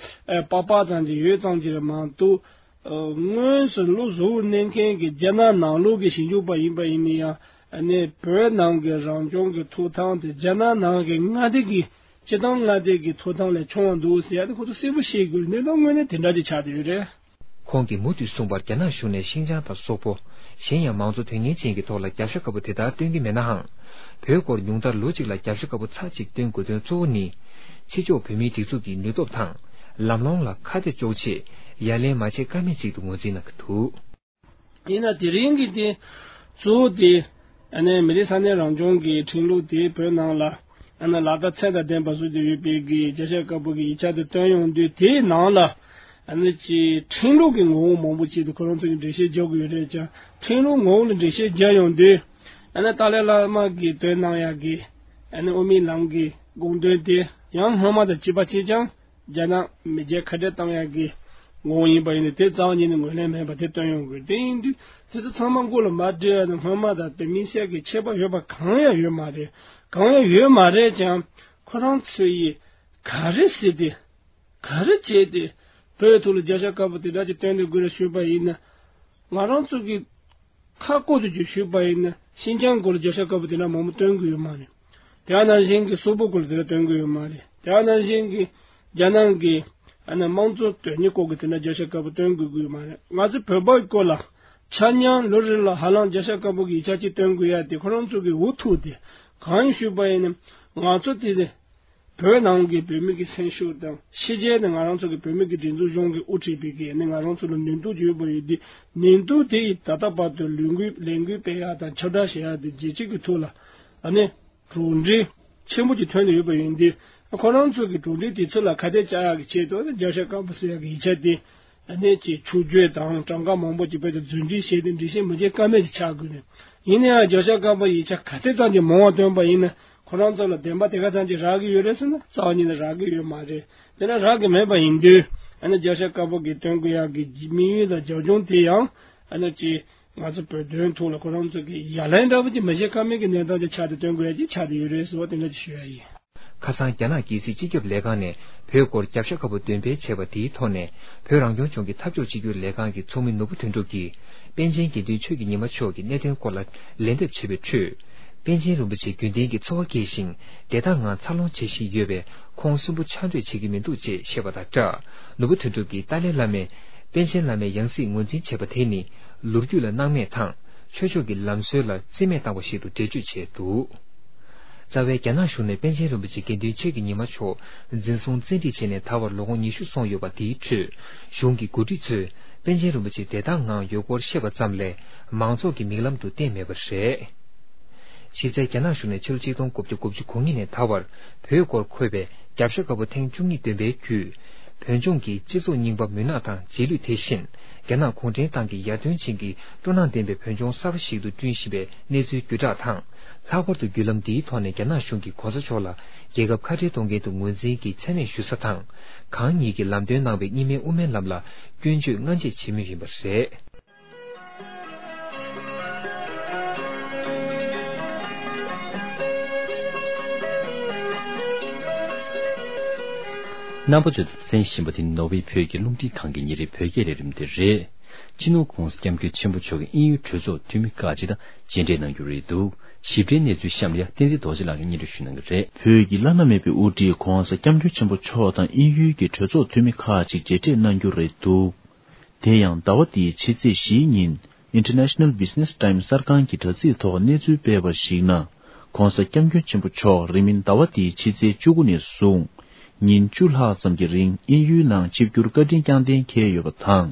ཨ་པགས་པགས་ཙམ་གྱི་ཡོད་ཙམ་གྱི་རེད་མ་གཏོགས། ཨ་དངོས་སུ་བློ་གཟུ་བོར་གནས་མཁན་གྱི་རྒྱ་ནག་ནང་ལོགས་ཀྱི་ཞིབ་འཇུག་པ་ཡིན་པ་ཡིན་ན་ཡང་། ཨ་ནི་བོད་ནང་གི་རང་སྐྱོང་གི་ཐོབ་ཐང་དེ་རྒྱ་ནག་ནང་གི་མངའ་སྡེ་གི་སྤྱི་བཏང་མངའ་སྡེ་གི་ཐོབ་ཐང་ལས་ཆུང་བ་འདུག་ཟེར་ཡ་དེ་ཁོ་ཚོ་གསལ་པོ་ཤེས་དགོས། གནས་སྟངས་དངོས་གནས་དེ་འདྲ་ཅིག་ཆགས་བསྡད་ཡོད་རེད། ཁོང་གིས་མུ་མཐུད་གསུངས་པར། རྒྱ་ནག་གཞུང་ནས་ཤིན་ཅང་དང་སོག་པོ། གཞན་ཡང་མང་གཙོ་དོན་གཉེར་ཅན་གྱི་ཐོག་ལ་རྒྱབ་ཤ་དཀར་པོ་དེ་ལྟར་སྟོན་གྱི་མེད་ནའང་། བོད་སྐོར་ཉུང་མཐར་ལོ་གཅིག་ལ་རྒྱབ་ཤ་དཀར་པོ་ཚར་གཅིག་སྟོན་དགོས་དོན་གཙོ་བོ་ནི། ཕྱི་ཕྱོགས་བོད་མིའི་སྒྲིག་འཛུགས་ཀྱི་ནུས་སྟོབས་དང་། ལམ་ལྷོང་ལ་ཁ་གཏད་གཅོག་ཆེད་ཡ་ལན་མ་བྱེད་ཀ་མེད་ཅིག་ཏུ་ངོས་འཛིན་གནང་གི་འདུག། ཡིན་ན་དེ་རིང་གི་དེ་གཙོ་བོ་དེ། ཨ་ནི་མི་རིགས་ས་གནས་རང་སྐྱོང་གི་ཁྲིམས་ལུགས་དེ་བོད་ནང་ལ་ཨ་ནི་ལག་བསྟར་ཚད་དང་ལྡན་པ་བཟོ་དུ་ཡོད་པའི་གི་རྒྱབ་ཤ་དཀར་པོ་གི་ཡིག་ཆ་དེ་བཏོན་ཡོང་དུས། དེའི་ནང་ལ་ཨ་ནི་ཅིག་ཁྲིམས་ལུགས་ཀྱི་ངོ་བོ་མང་པོ་ཅིག་དེ་ཁོ་རང་ཚོ་གི་འགྲེལ་བཤད་རྒྱག་གི་ཡོད་རེད་ཀྱང་། ཁྲིམས་ལུགས་ངོ་བོ་ལ་འགྲེལ་བཤད་རྒྱག་ཡོང་དུས། ཨ་ནི་ཏཱ་ལའི་བླ་མ་གིས་བཏོན་གནང་ཡག་གི་ཨ་ནི་དབུ་མའི་ལམ་གྱི་དགོངས་དོན་དེ་ཡང་སྔོན་མ་དང་གཅིག་པ་གཅིག་རྐྱང་། རྒྱ་ནག་མི་རྒྱལ་ཁ་བྲལ་བཏང་ཡག་གི་ངོ་བོ་ཡིན་པ་ཡིན་ན། དེ་རྩ་བ་ཉིད་ནས་ངོས་ལེན་མེད་པ་དེ་སྟོན་ཡོང་དགོས། དེ་ཡིན་དུས་དེ་ཚོ་ཚང་མ་མགོ་ལ་མ་སྒྲིལ་བ་ནི་སྔོན་མ་དང་དེ་དམིགས་བསལ་གྱི་ཁྱད་པར་ཡོད་པ་གང་ཡང་ཡོད་མ་རེད། གང་ཡང་ཡོད་མ་རེད་ཀྱང་། ཁོ་རང་ཚོ་ཡིས་ག་རེ་ཟེར་ཏེ། ག་རེ་བྱས་ཏེ། བོད་ཐོག་ལ་རྒྱབ་ཤ་དཀར་པོ་དེ་འདྲ་ཅིག་སྟོན་དགོས་རེད་ཞུས་པ་ཡིན་ན། ང་རང་ཚོ་གི་ཁ་བསྐོར་དུ་རྒྱུ་ཞུས་པ་ཡིན་ན། ཤིན་ཅང་སྐོར་ལ་རྒྱབ་ཤ་དཀར་པོ་དེ་འདྲ་མང་པོ་སྟོན་གྱི་ཡོད་མ་རེད། དེ་ནང་བཞིན་གྱི་སོག་པོ་སྐོར་ལ་དེ་འདྲ་སྟོན་གྱི་ཡོད་མ་རེད། དེ་ནང་བཞིན་གྱི་རྒྱ་ནག་གི་ཨ་ནི་དམངས་གཙོ་དོན་གཉེར་སྐོར་གྱི་དེ་འདྲ་རྒྱབ་ཤ་དཀར་པོ་སྟོན་དགོས་ཀྱི་ཡོད་མ་རེད། ང་ཚོ་བོད་པའི་སྐོར་ལ་ཆ་མཉམ་ལོ་རེ་ལ་ཧ་ལམ་རྒྱབ་ཤ་དཀར་པོ་གི་ཡིག་ཆ་གཅིག་སྟོན་དགོས་ཡ་དེ་ཁོ་རང་ཚོ་གི་འུ་ཐུག་སྟེ། གང་ཡིན་ཞུས་པ་ཡིན་ན། ང་ཚོ་དེ་བོད་ནང་གི་བོད་མི་གི་སེམས་ཤུགས་དང་། ཕྱི་རྒྱལ་ནས་ང་རང་ཚོ་གི་བོད་མི་གི་སྒྲིག་འཛུགས་གཞུང་གིས་དབུ་ཁྲིད་པའི་གི་ནི་ང་རང་ཚོ་ལ་ནུས་སྟོབས་ཡོད་པ་ཡོད་དེ། ནུས་སྟོབས་དེ་ཡིས་ད་ལྟ་བར་དུ་ལས་འགུལ་ལས་འགུལ་སྤེལ་ཡག་དང་ཁྱབ་བསྒྲགས་བྱེད་ཡག་དེ་རྒྱལ་སྤྱི་གི་ཐོག་ལ་ཨ་ནི་གྲུབ་འབྲས་ཆེན་པོ་ཅིག་ཐོན་ནས་ཡོད་པ་ཡིན་དུས། ཁོ་རང་ཚོ་གི་གྲུབ་འབྲས་དེ་ཚོ་ལ་ཁ་གཏད་བཅག་ཡག་གི་ཆེད་དུ་ཨ་ནི་རྒྱབ་ཤ་དཀར་པོ་ཟེར་ཡག་གི་ཡིག་ཆ་དེ་ཨ་ནི་ཅིག་ཆུ་བཅོས་དང་གྲངས་ཀ་མང་པོ་ཅིག་སྤེལ་ཏེ་རྫུན་སྒྲིག་བྱས་ཏེ་འགྲེལ་བཤད་མི་བྱེད་ཀ་མེད་ཅིག་ཆགས་དགོས་ནས། ཡིན་ན་ཡང་རྒྱབ་ཤ་དཀར་པོ་ཡིག་ཆ་ག་ཚད་ཙམ་གྱིས་མང་བ་བཏོན་པ་ཡིན་ན། ཁོ་རང་ཚོ་ལ་བདེན་པ་དེ་ག་ཙམ་གྱིས་རག་གི་ཡོད་རེད་ཟེར་ན། རྩ་བ་ཉིད་ནས་རག་གི་ཡོད་མ་རེད། དེ་ན་རག་གི་མེད་པ་ཡིན་དུས། ཨ་ནི་རྒྱབ་ཤ་དཀར་པོ་གིས་སྟོན་དགོས་ཡག་གི་དམིགས་ཡུལ་དང་རྒྱབ་ལྗོངས་དེ་ཡང་ཨ་ནི་ཅིག་ང་ཚོ་བོད་དོན་ཐོག་ལ་ཁོ་རང་ཚོ་གི་ཡ་ལན་འདྲ་པོ་ཅིག་མི་བྱེད་ཀ་མེད་ཀྱི་གནས་སྟངས་ཅིག་ཆགས་ཏེ་སྟོན་དགོས་ཡ་ཅིག་ཆགས་ཏེ་ཡོད་རེད་ཟེར་བ་དེ་འདྲ་ཅིག་ཞུ་ཡ་ཡིན། ཁ་སང་རྒྱ་ནག་རྒྱལ་སྲིད་སྤྱི་ཁྱབ་ལས་ཁང་ནས་བོད་སྐོར་རྒྱབ་ཤ་དཀར་པོ་འདོན་སྤེལ་བྱས་པ་དེའི་ཐོག་ནས། བོད་རང་སྐྱོང་ལྗོངས་ཀྱི་འཐབ་ཕྱོགས་གཅིག་གྱུར་ལས་ཁང་གི་ཚོགས་མི་ནོར་བུ་དོན་གྲུབ་ཀྱིས། པཎ་ཆེན་དགེ་འདུན་ཆོས་ཀྱི་ཉི་མ་མཆོག་གི་གནད་དོན་སྐོར་ལ་ལན་འདེབས་བྱས་པའི་ཁྲོད། པཎ་ཆེན་རིན་པོ་ཆེ་རྒྱུན་ལྡན་གྱི་འཚོ་བ་སྐྱེལ་ཞིང་། བདེ་ཐང་ངང་འཚར་ལོངས་བྱེད་བཞིན་ཡོད་པས། ཁོང་སུན་པོ་ཆགས་འདོད་བྱེད་ཀྱི་མི་འདུག་ཅེས་བཤད་པ་དང་སྦྲགས། ནོར་བུ་དོན་གྲུབ་ཀྱིས་ཏཱ་ལའི་བླ་མས་པཎ་ཆེན་བླ་མའི་ཡང་སྲིད་ངོས་འཛིན་བྱས་པ་དེ་ནི། ལོ་རྒྱུས་ལ་སྣང་མེད་དང་། ཆོས་ཕྱོགས་ཀྱི་ལམ་སྲོལ་ལ་རྩིས་མེད་བཏང་བ་ཞིག་ཏུ་འགྲེལ་བརྗོད་བྱས་འདུག། རྩ་བའི་རྒྱ་ནག་གཞུང་ནས་པཎ་ཆེན་རིན་པོ་ཆེ་དགེ་འདུན་ཆོས་ཀྱི་ཉི་མ་མཆོག་འཛིན་བཟུང་བཙན་ཁྲིད་བྱས་ནས་ད་བར་ལོ་ངོ་ཉི་ཤུ་སོང་ཡོད་པ། དེའི་ཁྲོད་གཞུང་གི་འགོ་ཁྲིད་ཚོས་པཎ་ཆེན་རིན་པོ་ཆེ་བདེ་ཐང་ངང་ཡོད་སྐོར་བཤད་པ་ཙམ་ལས། མང་ཚོགས་ཀྱི་མིག་ལམ་དུ་བསྟན་མེད་པ་རེད། གཞི་རྩའི་རྒྱ་ནག་གཞུང་ནས་ཕྱི་ལོ་ཆིག་སྟོང་དགུ་བརྒྱ་དགུ་བཅུ་གོ་གཉིས་ནས་ད་བར་བོད་སྐོར་འཁོད་པའི་རྒྱབ་ཤ་དཀར་པོ་ཐེངས་བཅུ་གཉིས་འདོན་པའི་བརྒྱུད། བོད་ལྗོངས་ཀྱི་སྤྱི་ཚོགས་རྙིང་པ་མུན་ནག་དང་རྗེས་ལུས་དེ་བཞིན། རྒྱ་ནག་གུང་ཁྲན་ཏང་གི་ཡར་ཐོན་ཅན་གྱི་སྤྲོ་སྣང་ལྡན་པའི་བོད་ལྗོངས་གསར་པ་ཞིག་ཏུ་བསྐྲུན་བཞིན་པའི་གནས་ཚུལ་བརྒྱུད་བསྒྲགས་དང་། ལྷག་པར་དུ་བརྒྱུད་ལམ་འདིའི་ཐོག་ནས་རྒྱ་ནག་གཞུང་གིས་གོང་ས་མཆོག་ལ་རྒྱལ་ཁབ་ཁ་བྲལ་གཏོང་མཁན་དུ་ངོས་འཛིན་གྱི་མཚན་སྨད་ཞུ་ས་དང་། གང་ཉིད་ཀྱིས་ལམ་སྟོན་གནང་བའི་རྙིང་མའི་དབུ་མའི་ལམ་ལ་སྐྱོན་བརྗོད་སྔ་རྗེས་བྱེད་མུས་ཡིན་པ་རེད། རྣམ་པ་ཚོས་གསན་བཞིན་པ་དེ་ནོར་ཝེ་བོད་ཀྱི་རླུང་འཕྲིན་ཁང་གི་ཉིན་རེའི་བོད་སྐད་ལས་རིམ་དེ་རེད། སྤྱི་ནོར་༧གོང་ས་༧སྐྱབས་མགོན་ཆེན་པོ་མཆོག་གིས་དབྱིན་ཡུལ་གྲོས་ཚོགས་འཐུས་མི་ཁག་ཅིག་དང་མཇལ་འཕྲད་གནང་རྒྱུ་རེད་འདུག། ཞིབ་ཕྲའི་གནས་ཚུལ་གཤམ་ལ་ཡ་བསྟན་འཛིན་རྡོ་རྗེ་ལགས་ཀྱིས་སྙན་སྒྲོན་ཞུ་གནང་གི་རེད། བོད་ཀྱི་བླ་ན་མེད་པའི་དབུ་ཁྲིད་༧གོང་ས་༧སྐྱབས་མགོན་ཆེན་པོ་མཆོག་དང་དབྱིན་ཡུལ་གྱི་གྲོས་ཚོགས་འཐུས་མི་ཁག་ཅིག་མཇལ་འཕྲད་གནང་རྒྱུ་རེད་འདུག། དེ་ཡང་ཟླ་བ་འདིའི་ཕྱི་ཚེས་བཞིའི་ཉིན་International Business Times གསར་ཁང་གི་དྲ་ཚིགས་ཐོག་གནས་ཚུལ་སྤེལ་བར་གཞིགས་ན། ༧གོང་ས་༧སྐྱབས་མགོན་ཆེན་པོ་མཆོག་རིང་མིན་ཟླ་བ་འདིའི་ཕྱི་ཚེས་བཅུ་དགུ་ནས་བཟུང་། ཉིན་བཅུ་ལྷག་ཙམ་གྱི་རིང་དབྱིན་ཡུལ་ནང་ཆིབས་བསྒྱུར་བཀའ་དྲིན་བསྐྱངས་གཏན་འཁེལ་ཡོད་པ་དང་།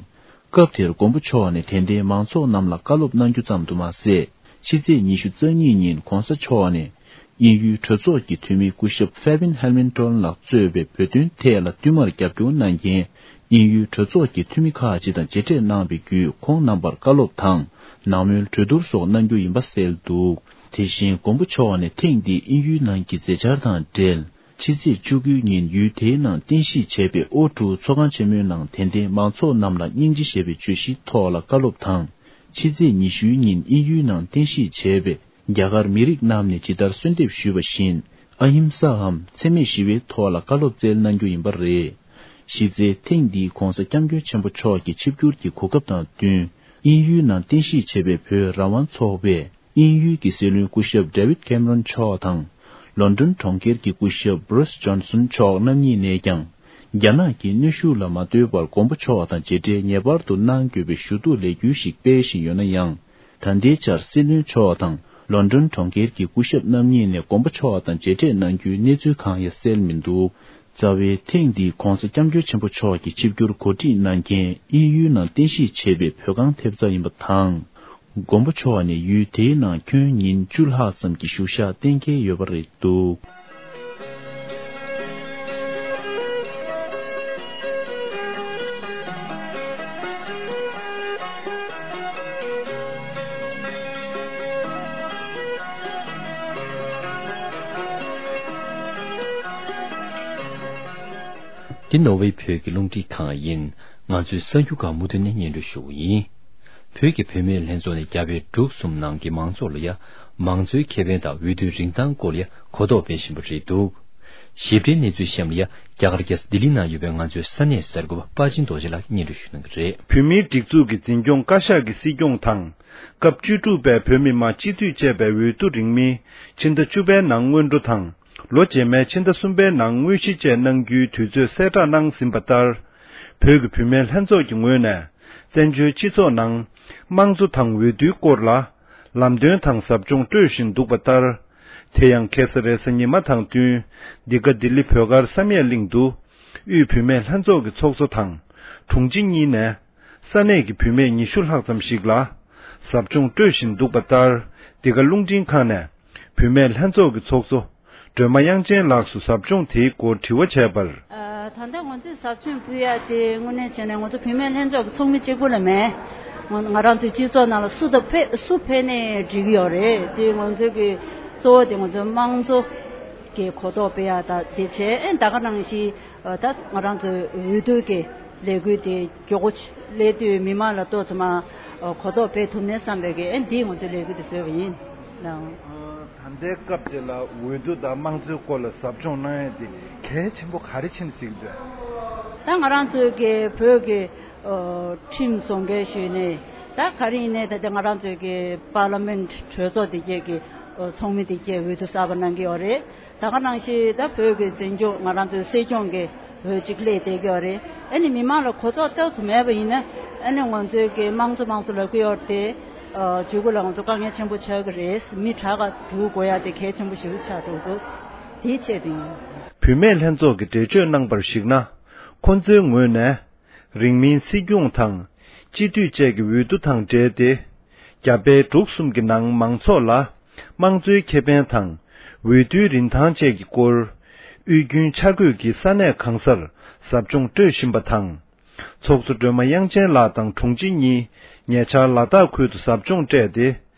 སྐབས་དེར་མགོན་པོ་མཆོག་ནས་དད་ལྡན་མང་ཚོགས་རྣམས་ལ་བཀའ་སློབ་གནང་རྒྱུ་ཙམ་དུ་མ་ཟད། ཕྱི་ཚེས་ཉི་ཤུ་རྩ་གཉིས་ཉིན་༧གོང་ས་མཆོག་ནས་དབྱིན་ཡུལ་གྲོས་ཚོགས་ཀྱི་འཐུས་མི་སྐུ་ཞབས་Fabien Helmentohl ལགས་གཙོས་པའི་བོད་དོན་ཐད་ལ་བསྟུད་མར་རྒྱབ་སྐྱོར་གནང་མཁན་དབྱིན་ཡུལ་གྲོས་ཚོགས་ཀྱི་འཐུས་མི་ཁག་ཅིག་དང་མཇལ་འཕྲད་གནང་བའི་བརྒྱུད། ཁོང་རྣམ་པར་བཀའ་སློབ་དང་ནང་མོལ་གྲོས་བསྡུར་སོགས་གནང་རྒྱུ་ཡིན་པ་གསལ་འདུག། དེ་བཞིན་མགོན་པོ་མཆོག་ནས་ཐེངས་འདིའི་དབྱིན་ཡུལ་ནང་གི་མཛད་འཆར་དང་འབྲེལ། ཕྱི་ཚེས་བཅུ་དགུའི་ཉིན་ཡུལ་དེའི་ནང་རྟེན་གཞི་བྱས་པའི་ཨོ་ཀྲུའུ་ཚོགས་ཁང་ཆེན་མོའི་ནང་དད་ལྡན་མང་ཚོགས་རྣམས་ལ་སྙིང་རྗེ་ཞེས་པའི་བརྗོད་གཞིའི་ཐོག་ལ་བཀའ་སློབ་དང་། ཕྱི་ཚེས་ཉི་ཤུའི་ཉིན་དབྱིན་ཡུལ་ནང་རྟེན་གཞི་བྱས་པའི་རྒྱ་གར་མི་རིགས་རྣམས་ནས་ཇི་ལྟར་གསོལ་འདེབས་ཞུས་པ་བཞིན། ཨ་ཧིམ་སའམ་འཚེ་མེད་ཞི་བའི་ཐོག་ལ་བཀའ་སློབ་སྩལ་གནང་རྒྱུ་ཡིན་པ་རེད། གཞི་རྩའི་ཐེངས་འདིའི་༧གོང་ས་༧སྐྱབས་མགོན་ཆེན་པོ་མཆོག་གི་ཆིབས་བསྒྱུར་གྱི་གོ་སྐབས་དང་བསྟུན། དབྱིན་ཡུལ་ནང་རྟེན་གཞི་བྱས་པའི་བོད་རང་དབང་ཚོགས་པས་དབྱིན་ཡུལ་གྱི་སྲིད་བློན་སྐུ་ཞབས་David Cameron་མཆོག་དང་། ལོན་ཌོན་གྲོང་ཁྱེར་གྱི་སྐུ་ཞབས་Boris Johnson་མཆོག་རྣམ་གཉིས་ནས་ཀྱང་། རྒྱ་ནག་གི་གནོན་ཤུགས་ལ་མ་ལྟོས་པར་མགོན་པོ་མཆོག་དང་མཇལ་འཕྲད་ངེས་པར་དུ་གནང་དགོས་པའི་ཞུ་གཏུག་ལས་འགུལ་ཞིག་སྤེལ་བཞིན་ཡོད་ན་ཡང་། ད་ལྟའི་ཆར་སྲིད་བློན་མཆོག་དང་ལོན་ཌོན་གྲོང་ཁྱེར་གྱི་སྐུ་ཞབས་རྣམ་གཉིས་ནས་མགོན་པོ་མཆོག་དང་མཇལ་འཕྲད་གནང་རྒྱུའི་གནས་ཚུལ་གང་ཡང་གསལ་མི་འདུག། རྩ་བའི་ཐེངས་འདིའི་༧གོང་ས་༧སྐྱབས་མགོན་ཆེན་པོ་མཆོག་གི་ཆིབས་བསྒྱུར་གོ་སྒྲིག་གནང་མཁན་དབྱིན་ཡུལ་ནང་རྟེན་གཞི་བྱས་པའི་བོད་ཁང་ཐེབས་རྩ་ཡིན་པ་དང་། མགོན་པོ་མཆོག་ནས་ཡུལ་དེའི་ནང་ཁྱོན་ཉིན་བཅུ་ལྷག་ཙམ་གྱི་བཞུགས་ཞག་གཏན་འཁེལ་ཡོད་པ་རེད་འདུག། འདི་ནོར་ཝེ་བོད་ཀྱི་རླུང་འཕྲིན་ཁང་ཡིན། ང་ཚོའི་གསར་འགྱུར་ཁག་མུ་མཐུད་ནས་སྙན་སྒྲོན་ཞུ་གི་ཡིན། བོད་ཀྱི་བུད་མེད་ལྷན་ཚོགས་ནས་རྒྱ་བལ་འབྲུག་གསུམ་ནང་གི་མང་ཚོགས་ལ་ཡ། མང་གཙོའི་ཁེ་ཕན་དང་འོས་བསྡུའི་རིན་ཐང་སྐོར་ལ་ཡ་གོ་རྟོགས་སྤེལ་བཞིན་པ་རེད་འདུག། ཞིབ་ཕྲའི་གནས་ཚུལ་གཤམ་ལ་ཡ། རྒྱ་གར་རྒྱལ་ས་ལྡི་ལི་ནང་ཡོད་པའི་ང་ཚོའི་ས་གནས་གསར་འགོད་པ་དཔའ་ཆེན་རྡོ་རྗེ་ལགས་སྙན་སྒྲོན་ཞུ་གནང་གི་རེད། བོད་མིའི་སྒྲིག་འཛུགས་ཀྱི་འཛིན་སྐྱོང་བཀའ་ཤག་གི་སྲིད་སྐྱོང་དང་། སྐབས་བཅུ་དྲུག་པའི་བོད་མི་མང་སྤྱི་འཐུས་བཅས་པའི་འོས་བསྡུ་རིང་མིན་ཕྱི་ཟླ་བཅུ་པའི་ནང་སྔོན་འགྲོ་དང་། ལོ་རྗེས་མའི་ཕྱི་ཟླ་གསུམ་པའི་ནང་དངོས་གཞི་བཅས་གནང་རྒྱུའི་དུས་ཚོད་གསལ་བསྒྲགས་གནང་ཟིན་པ་ལྟར། བོད་ཀྱི་བུད་མེད་ལྷན་ཚོགས་ཀྱི་ངོས་ནས་བཙན་བྱོལ་སྤྱི་ཚོགས་ནང་དམངས་གཙོ་དང་འོས་བསྡུའི་སྐོར་ལ་ལམ་སྟོན་དང་ཟབ་སྦྱོང་སྤྲོད་བཞིན་འདུག་པ་ལྟར། དེ་ཡང་ཁ་སང་རེས་གཟའ་ཉི་མ་དང་བསྟུན་འདི་ག་ལྡི་ལི་བོད་སྒར་བསམ་ཡས་གླིང་དུ་དབུས་བུད་མེད་ལྷན་ཚོགས་ཀྱི་ཚོགས་གཙོ་དང་དྲུང་ཆེ་གཉིས་ནས། ས་གནས་ཀྱི་བུད་མེད་ཉི་ཤུ་ལྷག་ཙམ་ཞིག་ལ་ཟབ་སྦྱོང་སྤྲོད་བཞིན་འདུག་པ་ལྟར། འདི་ག་རླུང་འཕྲིན་ཁང་ནས་བུད་མེད་ལྷན་ཚོགས་ཀྱི་ཚོགས་གཙོ་སྒྲོལ་མ་དབྱངས་ཅན་ལགས་སུ་ཟབ་སྦྱོང་དེའི་སྐོར་དྲི་བ་བྱས་པར། ཨ། ད་ལྟ་ང་ཚོས་ཟབ་སྦྱོང་ཕུལ་ཡ་དེ་དངོས་གནས་བྱས་ན་ང་ཚོ་བུད་མེད་ལྷན་ཚོགས་ཀྱི་ཚོགས་མི་གཅིག་པུ་ལ་མེད། ང་ང་རང་ཚོའི་སྤྱི་ཚོགས་ནང་ལ་སུ་དང་ཕེ་སུ་ཕེབས་ནའི་འགྲིག་གི་ཡོད་རེད། དེ་ང་ཚོའི་གི་གཙོ་བོ་དེ་ང་ཚོའི་དམངས་གཙོ་གི་གོ་རྟོགས་སྤེལ་ཡ་ད་དེ་བྱས། ཨེ་ད་ག་ནང་བཞིན། ད་ང་རང་ཚོའི་འོས་བསྡུ་གི་ལས་འགུལ་དེ་མགྱོགས་པོ་སླེབས་དུས་མི་མང་ལ་ཏོག་ཙམ་གོ་རྟོགས་སྤེལ་ཐུབ་ནས་བསམ་པའི་གི་ཨེ་འདིས་ང་ཚོའི་ལས་འགུལ་དེ་བཟོས་པ་ཡིན། ད་ལྟའི་སྐབས་དེ་ལ་འོས་བསྡུ་དང་དམངས་གཙོའི་སྐོར་ལ་ཟབ་སྦྱོང་གནང་ཡས་དེ་གལ་ཆེན་པོ་ག་རེ་ཕྱིན་ཟིག་འདུག། ད་ང་རང་ཚོའི་གི་བོད་ཀྱི་ཁྲིམས་བཟོ་འགན་ཞུས་ནས། ད་ག་རེ་ཡིན་ནའི་ད་ལྟ་ང་རང་ཚོའི་གི་པར་ལི་མེན་གྲོས་ཚོགས་དེ་གས་ཀྱི་ཚོགས་མི་དེ་གས་འོས་བསྡུ་གསར་པ་གནང་གི་ཡོད་རེད། ད་ག་ནང་བཞིན་ད་བོད་ཀྱི་འཛིན་སྐྱོང་ང་རང་ཚོའི་སྲིད་སྐྱོང་གི་འོས་གཅིག་སླེབས་བསྡད་ཀྱི་ཡོད་རེད། ཨ་ནི་མི་མང་ལ་གོ་རྟོགས་ཏོག་ཙམ་མེད་པ་ཡིན་ན་ཨ་ནི་ང་ཚོའི་གི་དམངས་གཙོ་དམངས་གཙོ་ལབ་ཀྱི་ཡོད་རེད་དེ། ཨ་ཇུས་འགོད་ལ་ང་ཚོ་དཀའ་ངལ་ཆེན་པོ་ཆགས་ཀྱི་རེད། མི་དྲག་ག་འདུག་དགོས་ཡ་དེ་གལ་ཆེན་པོ་ཞིག་ཆགས་འགྲོ་གི་འདུག། དེའི་ཆེད་དུ་ཡིན། བུད་མེད་ལྷན་ཚོགས་ཀྱིས་འགྲེལ་བརྗོད་གནང་པར་གཞིགས་ན། ཁོ་ཚོའི་ངོས་ནས། རིང་མིན་སྲིད་སྐྱོང་དང་སྤྱི་འཐུས་བཅས་ཀྱི་འོས་བསྡུ་དང་འབྲེལ་ཏེ། རྒྱ་བལ་འབྲུག་གསུམ་གྱི་ནང་མང་ཚོགས་ལ་དམངས་གཙོའི་ཁེ་ཕན་དང་འོས་བསྡུའི་རིན་ཐང་བཅས་ཀྱི་སྐོར། དབུས་རྒྱུན་ཆ་བགོས་ཀྱིས་ས་གནས་གང་སར་ཟབ་སྦྱོང་སྤྲོད་བཞིན་པ་དང་། ཚོགས་གཙོ་སྒྲོལ་མ་དབྱངས་ཅན་ལགས་དང་དྲུང་ཆེ་གཉིས་ཉེ་ཆར་ལ་དྭགས་ཁུལ་དུ་ཟབ་སྦྱོང་སྤྲད་དེ།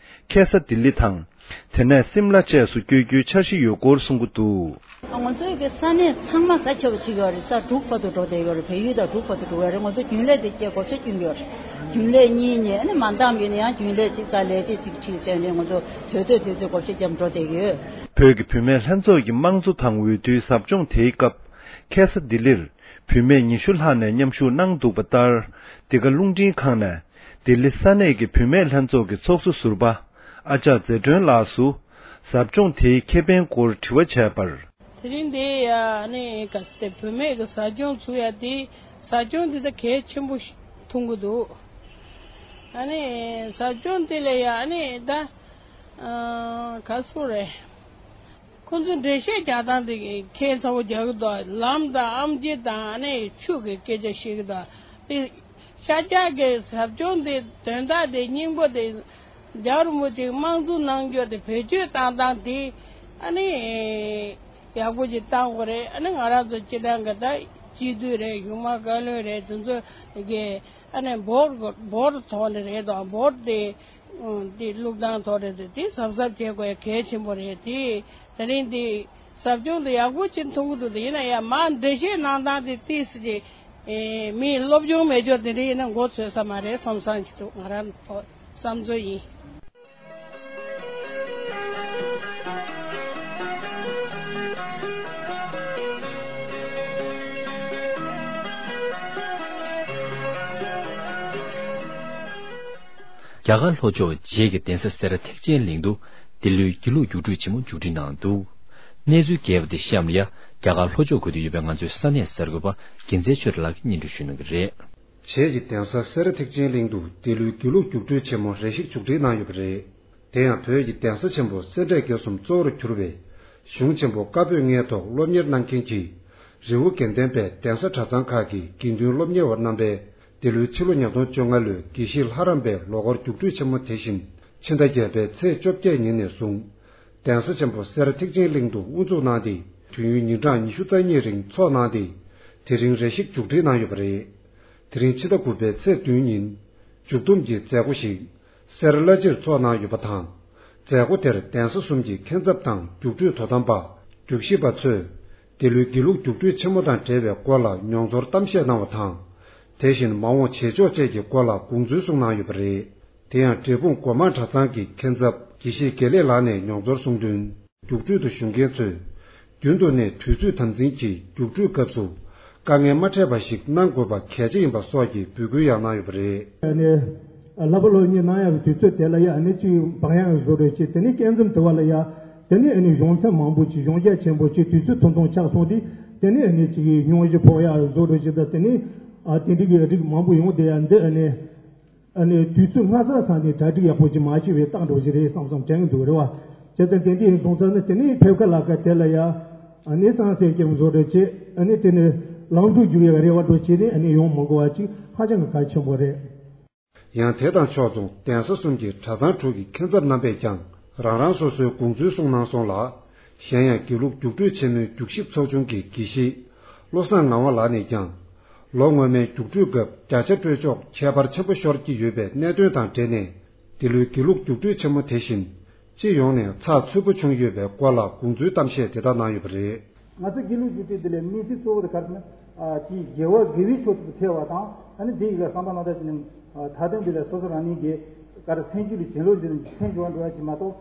ཁ་སང་ལྡི་ལི་དང་། དེ་ནས་སིམ་ལ་བཅས་སུ་བསྐྱོད་རྒྱུའི་འཆར་གཞི་ཡོད་སྐོར་གསུང་གི་འདུག། ང་ཚོའི་གི་ས་གནས་ཚང་མ་ས་ཁྱབ་ཅིག་ཡོད་རེད། ས་དྲུག་བར་དུ་འགྲོ་བསྡད་ཡོད་རེད། བལ་ཡུལ་དང་འབྲུག་བར་དུ་འགྲོ་ཡོད་རེད། ང་ཚོ་རྒྱུན་ལས་དེ་སྐྱེལ་བགོ་བཤའ་སྐྱོན་གྱི་ཡོད་རེད། རྒྱུན་ལས་གཉིས་ནས་ཨ་ནི་མ་འདང་བའི་ནས་ཡང་རྒྱུན་ལས་གཅིག་དང་ལས་བྱེད་གཅིག་ཁྲིད་བྱས་ནས་ང་ཚོ་དུས་ཚོད་དུས་ཚོད་བགོ་བཤའ་བརྒྱབ་འགྲོ་བསྡད་ཀྱི་ཡོད། བོད་ཀྱི་བུད་མེད་ལྷན་ཚོགས་ཀྱི་དམངས་གཙོ་དང་འོས་བསྡུའི་ཟབ་སྦྱོང་དེའི་སྐབས་ཁ་སང་ལྡི་ལིར་བུད་མེད་ཉི་ཤུ་ལྷག་ནས་མཉམ་ཞུགས་གནང་འདུག་པ་ལྟར། འདི་ག་རླུང་འཕྲིན་ཁང་ནས། ལྡི་ལི་ས་གནས་ཀྱི་བུད་མེད་ལྷན་ཚོགས་ཀྱི་ཚོགས་གཙོ་ཟུར་པ་ཨ་ཅག་ཛེ་སྒྲོན་ལགས་སུ་ཟབ་སྦྱོང་དེའི་ཁེ་ཕན་སྐོར་དྲི་བ་བྱས་པར། དེ་རིང་འདི་ཡ་ནི་ག་ཟེར་ཏེ་བུད་མེད་ཀྱི་ཟབ་སྦྱོང་ཚུགས་ཡ་དེ་ཟབ་སྦྱོང་འདི་ད་གལ་ཆེན་པོ་ཞིག་མཐོང་གི་འདུག། ཨ་ནི་ཟབ་སྦྱོང་འདི་ལ་ཡ་ནི་ད་ག་སུ་རེད། ཁོང་ཚོས་འགྲེལ་བཤད་རྒྱག་སྟངས་དེ་ཁྱད་མཚར་པོ་རྒྱག་གི་འདུག། ལམ་དང་ཨམ་ཆི་དང་ཨ་ནི་ཆུ་གི་སྐད་ཆ་བཤད་གི་འདུག། དེ་ཤར་རྒྱག་གི་ཟབ་སྦྱོང་དེ་དོན་དག་དེ་སྙིང་པོ་དེ་རྒྱལ་བ་རིན་པོ་ཆེ་དམངས་གཙོ་གནང་རྒྱུ་དེ་བེད་སྤྱོད་བཏང་སྟངས་དེ་ཨ་ནི་ཡག་པོ་ཅིག་བཏང་དགོས་རེད། ཨ་ནི་ང་རང་ཚོ་སྤྱི་བཏང་གི་ད་སྤྱི་འཐུས་རེད། གཞུང་མང་བཀའ་བློན་རེད། དེ་ཚོ་གི་ཨ་ནི་འབོར་འབོར་ཐོག་ནས་རེད་དོ། འབོར་དེ། འདི་བླུག་སྟངས་ཐོག་རེད་དེ་དེ་གཟབ་གཟབ་བྱེད་དགོས་གལ་ཆེན་པོ་རེད་དེ། དེ་རིང་འདི་ཟབ་སྦྱོང་དེ་ཡག་པོ་ཅིག་མཐོང་གི་འདུག། དེ་ཡིན་ན་ཡང་མ་འགྲེལ་བཤད་གནང་སྟངས་དེ་ཏིས་ཀྱི་མིའི་སློབ་སྦྱོང་མེད་ཅོག་དེ་འདྲ་ཡིན་ན་མགོ་ཚོས་ས་མ་རེད་བསམ་བསམ་ཅིག་འདུག། ང་རང་ཐོག་བསམ་ཚུལ་ཡིན། རྒྱ་གར་ལྷོ་ཕྱོགས་བྱེས་ཀྱི་གདན་ས་སེ་ར་ཐེག་ཆེན་གླིང་དུ་འདི་ལོའི་དགེ་ལུགས་རྒྱུགས་སྤྲོད་ཆེན་མོ་མཇུག་སྒྲིལ་གནང་འདུག་གནས་ཚུལ་རྒྱས་པ་དེ་གཤམ་ལ་ཡ། རྒྱ་གར་ལྷོ་ཕྱོགས་འཁོད་དུ་ཡོད་པའི་ང་ཚོའི་ས་གནས་གསར་འགོད་པ་རྒྱལ་མཚན་ཆོས་གྲགས་ལགས་ཀྱིས་སྙན་སྒྲོན་ཞུ་གནང་གི་རེད། བྱེས་ཀྱི་གདན་ས་སེ་ར་ཐེག་ཆེན་གླིང་དུ་འདི་ལོའི་དགེ་ལུགས་རྒྱུགས་སྤྲོད་ཆེན་མོ་རེ་ཞིག་མཇུག་སྒྲིལ་གནང་ཡོད་པ་རེད། དེ་ཡང་བོད་ཀྱི་གདན་ས་ཆེན་པོ་སེ་འབྲས་དགེ་གསུམ་གཙོ་བོར་གྱུར་པའི་གཞུང་ཆེན་པོ་བཀའ་པོད་ལྔའི་ཐོག་སློབ་གཉེར་གནང་མཁན་གྱི་རི་བོ་དགེ་ལྡན་པའི་གདན་ས་གྲྭ་ཚང་ཁག་གི་དགེ་འདུན་སློབ་གཉེར་བ་རྣམ་པས་འདི་ལོའི་ཕྱི་ལོ་ཉིས་སྟོང་བཅོ་ལྔ་ལོའི་དགེ་བཤེས་ལྷ་རམས་པའི་ལོ་འཁོར་རྒྱུགས་སྤྲོད་ཆེན་མོ་དེ་བཞིན་ཕྱི་ཟླ་བརྒྱད་པའི་ཚེས་བཅོ་བརྒྱད་ཉིན་ནས་བཟུང་གདན་ས་ཆེན་པོ་སེ་ར་ཐེག་ཆེན་གླིང་དུ་དབུ་འཛུགས་གནང་སྟེ། དུས་ཡུན་ཉིན་གྲངས་ཉི་ཤུ་རྩ་གཉིས་རིང་འཚོགས་གནང་སྟེ། དེ་རིང་རེ་ཞིག་མཇུག་སྒྲིལ་གནང་ཡོད་པ་རེད། དེ་རིང་ཕྱི་ཟླ་དགུ་པའི་ཚེས་བདུན་ཉིན་མཇུག་བསྡོམས་ཀྱི་མཛད་སྒོ་ཞིག་སེ་ར་བླ་སྤྱིར་འཚོགས་གནང་ཡོད་པ་དང་། མཛད་སྒོ་དེར་གདན་ས་གསུམ་གྱི་མཁན་ཚབ་དང་རྒྱུགས་སྤྲོད་དོ་དམ་པ། རྒྱུགས་ཞིབ་པ་ཚོས་འདི་ལོའི་དགེ་ལུགས་རྒྱུགས་སྤྲོད་ཆེན་མོ་དང་འབྲེལ་བའི་སྐོར་ལ་མྱོང་ཚོར་གཏམ་བཤད་གནང་བ་དང་། དེ་བཞིན་མ་འོངས་བྱེད་ཕྱོགས་བཅས་ཀྱི་སྐོར་ལ་དགོངས་ཚུལ་གསུངས་གནང་ཡོད་པ་རེད། དེ་ཡང་འབྲས་སྤུངས་སྒོ་མང་གྲྭ་ཚང་གི་མཁན་ཚབ་དགེ་བཤེས་དགེ་ལེགས་ལགས་ནས་མྱོང་ཚོར་གསུངས་དོན། རྒྱུགས་སྤྲོད་དུ་ཞུགས་མཁན་ཚོས། རྒྱུན་དུ་ནས་དུས་ཚོད་དམ་འཛིན་གྱིས་རྒྱུགས་སྤྲོད་སྐབས་སུ་དཀའ་ངལ་མ་འཕྲད་པ་ཞིག་གནང་དགོས་པ་གལ་ཆེ་ཡིན་པ་སོགས་ཀྱི་འབོད་སྐུལ་ཡང་གནང་ཡོད་པ་རེད། ཨ་ནི། བསླབ་པ་སློབ་གཉེར་གནང་ཡག་གི་དུས་ཚོད་དེ་ལ་ཡ་ཨ་ནི་གཅིག་བག་ཡངས་བཟོ་འདྲ་བྱས། དེ་ནས་སྐྱེ་ཚང་དུ་བ་ལ་ཡ། དེ་ནས་ཨ་ནི་གཞུང་ཚབ་མང་པོ་ཅིག་གཞུང་རྒྱ་ཆེན་པོ་ཅིག་དུས་ཚོད་ཐུང་ཐུང་ཆགས་སོང་སྟེ། དེ་ནས་ཨ་ནི་གཅིག་སྙུང་གཞི་ཕོག་ཡག་བཟོ་འདྲ་བྱས། ད་དེ་ནས་ཨ་དེ་འདྲ་གི་རིགས་མང་པོ་ཡོང་བསྡད་ཡ་འདི་ཨ་ནི། ཨ་ནི་དུས་ཚོད་སྔ་ས་ས་ནས་གྲ་སྒྲིག་ཡག་པོ་ཅིག་མ་བྱས་པའི་རྟགས་འདྲ་བོ་ཞིག་རེད་བསམ་བསམ་དྲན་གྱི་འདུག་རེད་བ། བྱས་ཙང་དེ་འདྲ་ཡིན་སོང་ཙང་ནི་དེ་ནས་ཕེབས་ཁ་ལ་ཁ་དེ་ལ་ཡ། ཨ་ནི་སང་སེར་སྐྱེམས་བཟོ་འདྲ་བྱས། ཨ་ནི་དེ་ནས་ལམ་འགྲོ་རྒྱུག་ཡག་རེ་བ་འདྲ་བོ་བྱས་ནས་ཨ་ནི་ཡོང་མི་དགོས་པ་ཅིག་ཧ་ཅང་གི་གལ་ཆེན་པོ་རེད། ཡང་དེ་དང་ཕྱོགས་མཚུངས་གདན་ས་གསུམ་གྱི་གྲྭ་ཚང་དྲུག་གི་མཁན་ཚབ་རྣམ་པས་ཀྱང་རང་རང་སོ་སོའི་དགོངས་ཚུལ་གསུངས་གནང་སོང་ལ། གཞན་ཡང་དགེ་ལུགས་རྒྱུགས་སྤྲོད་ཆེན་མོའི་རྒྱུགས་ཞིབ་ཚོགས་ཆུང་གི་དགེ་བཤེས་བློ་བཟང་ངག་དབང་ལགས་ནས་ཀྱང་། ལོ་སྔོན་མའི་རྒྱུགས་སྤྲོད་སྐབས་བརྒྱ་ཆ་སྤྲོད་ཕྱོགས་ཁྱད་པར་ཆེན་པོ་ཤོར་གྱི་ཡོད་པའི་གནད་དོན་དང་འབྲེལ་ནས། འདི་ལོའི་དགེ་ལུགས་རྒྱུགས་སྤྲོད་ཆེན་མོ་དེ་བཞིན་སྤྱི་ཡོངས་ནས་ཚགས་ཚུད་པོ་བྱུང་ཡོད་པའི་སྐོར་ལ་དགོངས་ཚུལ་གཏམ་བཤད་དེ་དག་གནང་ཡོད་པ་རེད། ང་ཚོ་དགེ་ལུགས་རྒྱུགས་སྤྲོད་འདི་ལ་དམིགས་བསལ་གཙོ་བོ་དེ་ག་རེ་ཟེར་ན། ཨ་ཅིག་དགེ་བ་དགེ་བའི་ཕྱོགས་སུ་ཐལ་བ་དང་། ཨ་ནི་འདི་ཡི་ག་བསམ་པ་སྣང་དག་ཅིག་ནི། ཨ་མཐའ་དོན་འདི་ལ་སོ་སོ་རང་ཉིད་ཀྱི་ག་རེ་སེམས་རྒྱུད་ལ་བྱིན་རླབས་འདི་ནི་ཕན་འབྱུང་བ་འགྲོ་བ་ཅིག་མ་གཏོགས།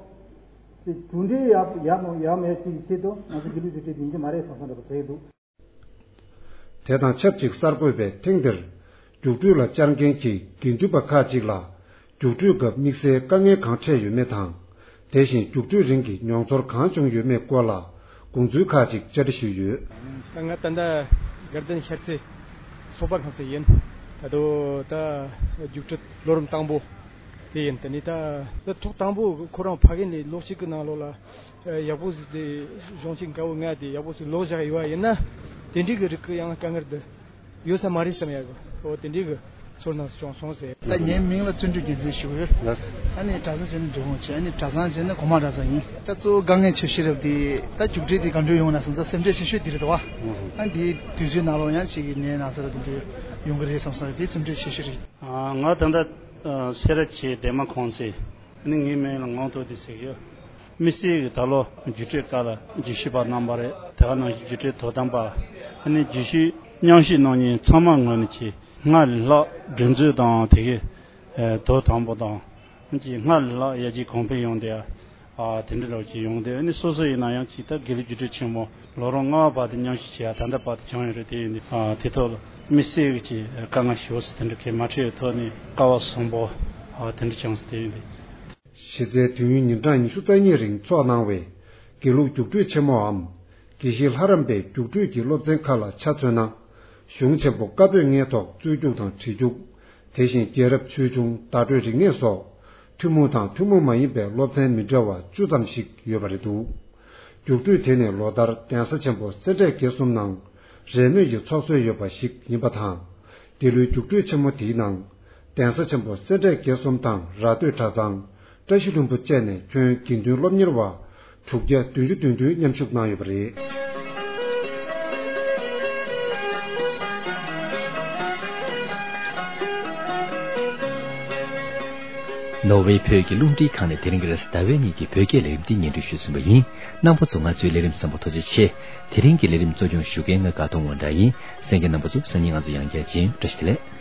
ཅིག་གྲུབ་འབྲས་ཡག་ཡག་མོ་ཡག་མེད་ཅིག་གི་ཆེད་དུ་ང་ཚོ་དགེ་ལུགས་རྒྱུགས་སྤྲོད་འདི་ཡིན་གྱི་མ་རེད་བསམ་བསམ་འདྲ་པོ་བྱས་འདུག་དེ་དང་ཆབས་ཅིག་གསར་འགོད་པས་ཐེངས་འདིར་རྒྱུགས་སྤྲོད་ལ་བཅར་མཁན་གྱི་དགེ་འདུན་པ་ཁག་ཅིག་ལ་རྒྱུགས་སྤྲོད་སྐབས་དམིགས་བསལ་དཀའ་ངལ་གང་འཕྲད་ཡོད་མེད་དང་། དེ་བཞིན་རྒྱུགས་སྤྲོད་རིང་གི་མྱོང་ཚོར་གང་བྱུང་ཡོད་མེད་སྐོར་ལ་དགོངས་ཚུལ་ཁག་ཅིག་བཅར་འདྲི་ཞུས་ཡོད། ད་ང་ད་ལྟ་དགའ་ལྡན་ཤར་རྩེ་ཚོགས་པ་ཁང་ཚན་ཡིན། ད་དུང་ད་རྒྱུགས་སྤྲོད་ལོ་རིམ་དང་པོ་དེ་ཡིན། དེ་ནས་ད་ད་ཐོག་དང་པོ་ཁོ་རང་ཕ་གི་ནས་ལོ་གཅིག་གི་ནང་ལོགས་ལ། ཨ་ཡག་པོ་ཟིག་དེ་གཞུང་ཆེན་དགའ་བོ་ང་དེ་ཡག་པོ་ཟིག་ལོག་བཞག་ཡོད་ཡིན་ན། དེ་འདྲའི་གི་རིགས་ཀྱི་ཡང་དཀའ་ངལ་དེ་ཡོད་ས་མ་རེད་བསམ་ཡག་གི། འོ་དེ་འདྲའི་གི་ཚོར་སྣང་བྱུང་སོང་ཟེར། ད་ངའི་མིང་ལ་བརྩོན་འགྲུས་རྒྱལ་མཚན་ཞུ་གི་ཡོད། ལགས། ཨ་ནི་གྲྭ་ཚང་ཟེར་ན་འབྲི་གུང་བྱས། ཨ་ནི་གྲྭ་ཚང་ཟེར་ན་གོང་མ་གྲྭ་ཚང་ཡིན། ད་གཙོ་བོ་དཀའ་ངལ་ཆེ་ཤོས་རབ་དེ་ད་རྒྱུགས་སྤྲོད་དེ་ག་འདྲ་ཡོང་ན་བསམ་ཚ་སེམས་ཁྲལ་ཆེ་ཤོས་དེ་རེད་དོ། ཨ་ནི་དེའི་དུས་ཚོད་ནང་ལོགས་ཡང་ཅིག་གི་ནད་ན་ཚ་ར་དེ་འདྲ་ཡོང་གི་རེད་བསམ་ས་དེ་སེམས་ཁྲལ་ཆེ་ཤོས་རེད། ང་ད་ལྟ་སེ་ར་བྱེས་སྡེ་དམངས་ཁང་ཚན། ཨ་ནི་ངའི་མིང་ལ་ངག་ཐོག་སྟེ་ཟེར་གི་ཡོད། དམིགས་བསལ་གྱི་ད་ལོ་རྒྱུགས་སྤྲོད་སྐབས་ལ་རྒྱུགས་ཞིབ་པ་རྣམ་པ་རེད། དེ་ག་ནང་བཞིན་རྒྱུགས་སྤྲོད་དོ་དམ་པ། ཨ་ནི་རྒྱུགས་ཞིབ་མཉམ་ཞུགས་གནང་མཁན་ཚང་མ་ངོས་ནས་ཀྱི་སྔར་ལས་ལྷག་སྒྲིག་འཛུགས་དང་དེ་གའི་དོ་དམ་པོ་དང་། ཀྱི་སྔར་ལས་ལྷག་ཡར་རྒྱས་གོང་འཕེལ་ཡོང་དེ། ཨ་དེ་འདྲ་རོགས་ཀྱི་ཡོང་དེ། ཨ་ནི་སོ་སོ་ཡིན་ན་ཡང་ཅིག་ད་དགེ་ལུགས་རྒྱུགས་སྤྲོད་ཆེན་མོ་ལོ་རིམ་ལྔ་པ་བར་དུ་མཉམ་ཞུགས་བྱས་ཡ་ད་ལྟ་བར་དུ་བྱུང་ཡོད་རེད། དེ་ཡིན་དུས་ཨ་དེ་ཐོག་ལ་དམིགས་བསལ་གྱི་དཀའ་ངལ་ཞེ་པོ་ཅིག་དེ་འདྲ་གས་མ་འཕྲད་པའི་ཐོག་ནས་སྐལ་བ་བཟང་པོ་ཨ་དེ་འདྲ་བྱུང་སོང་། དེ་ཡིན་དུས། གཞི་རྩའི་དུས་ཡུན་ཉིན་གྲངས་ཉི་ཤུ་རྩ་གཉིས་རིང་འཚོགས་གནང་བའི་དགེ་ལུགས་རྒྱུགས་སྤྲོད་ཆེན་མོའམ་དགེ་བཤེས་ལྷ་རམས་པའི་རྒྱུགས་སྤྲོད་ཀྱི་སློབ་ཚན་ཁག་ལ་ཆ་མཚོན་ན། གཞུང་ཆེན་པོ་བཀའ་པོད་ལྔའི་ཐོག་རྩོད་རྒྱུགས་དང་བྲིས་རྒྱུགས། དེ་བཞིན་རྒྱལ་རབས་ཆོས་འབྱུང་བརྡ་སྤྲོད་རིག་གནས་སོགས་ཐུན་མོང་དང་ཐུན་མོང་མ་ཡིན་པའི་སློབ་ཚན་མི་འདྲ་བ་བཅུ་ཙམ་ཞིག་ཡོད་པ་རེད་འདུག་རྒྱུགས་སྤྲོད་དེ་ནི་ལོ་ལྟར་གདན་ས་ཆེན་པོ་སེ་འབྲས་དགེ་གསུམ་ནང་རེས་མོས་ཀྱི་ཚོགས་སྲོལ་ཡོད་པ་ཞིག་ཡིན་པ་དང་། འདི་ལོའི་རྒྱུགས་སྤྲོད་ཆེན་མོ་དེའི་ནང་། གདན་ས་ཆེན་པོ་སེ་འབྲས་དགེ་གསུམ་དང་ར་སྟོད་གྲྭ་ཚང་། བཀྲ་ཤིས་ལྷུན་པོ་བཅས་ནས་ཁྱོན་དགེ་འདུན་སློབ་གཉེར་བ་དྲུག་བརྒྱ་བདུན་ཅུ་དོན་བདུན་མཉམ་ཞུགས་གནང་ཡོད་པ་རེད། ནོར་ཝེ་བོད་ཀྱི་རླུང་འཕྲིན་ཁང་ནས་དེ་རིང་གི་རེས་གཟའ་ཟླ་བའི་ཉིན་གྱི་བོད་སྐད་ལས་རིམ་འདི་སྙན་སྒྲོན་ཞུས་ཟིན་པ་ཡིན། རྣམ་པ་ཚོ་ང་ཚོའི་ལས་རིམ་གསན་པར་ཐུགས་རྗེ་ཆེ། དེ་རིང་གི་ལས་རིམ་གཙོ་སྐྱོང་ཞུ་མཁན་ང་དགའ་གདོང་དབང་གྲགས་ཡིན། གསན་མཁན་རྣམ་པ་ཚོ་སང་ཉིན་ང་ཚོ་ཡང་བསྐྱར་མཇལ་ཡོང་། བཀྲ་ཤིས་བདེ་ལེགས།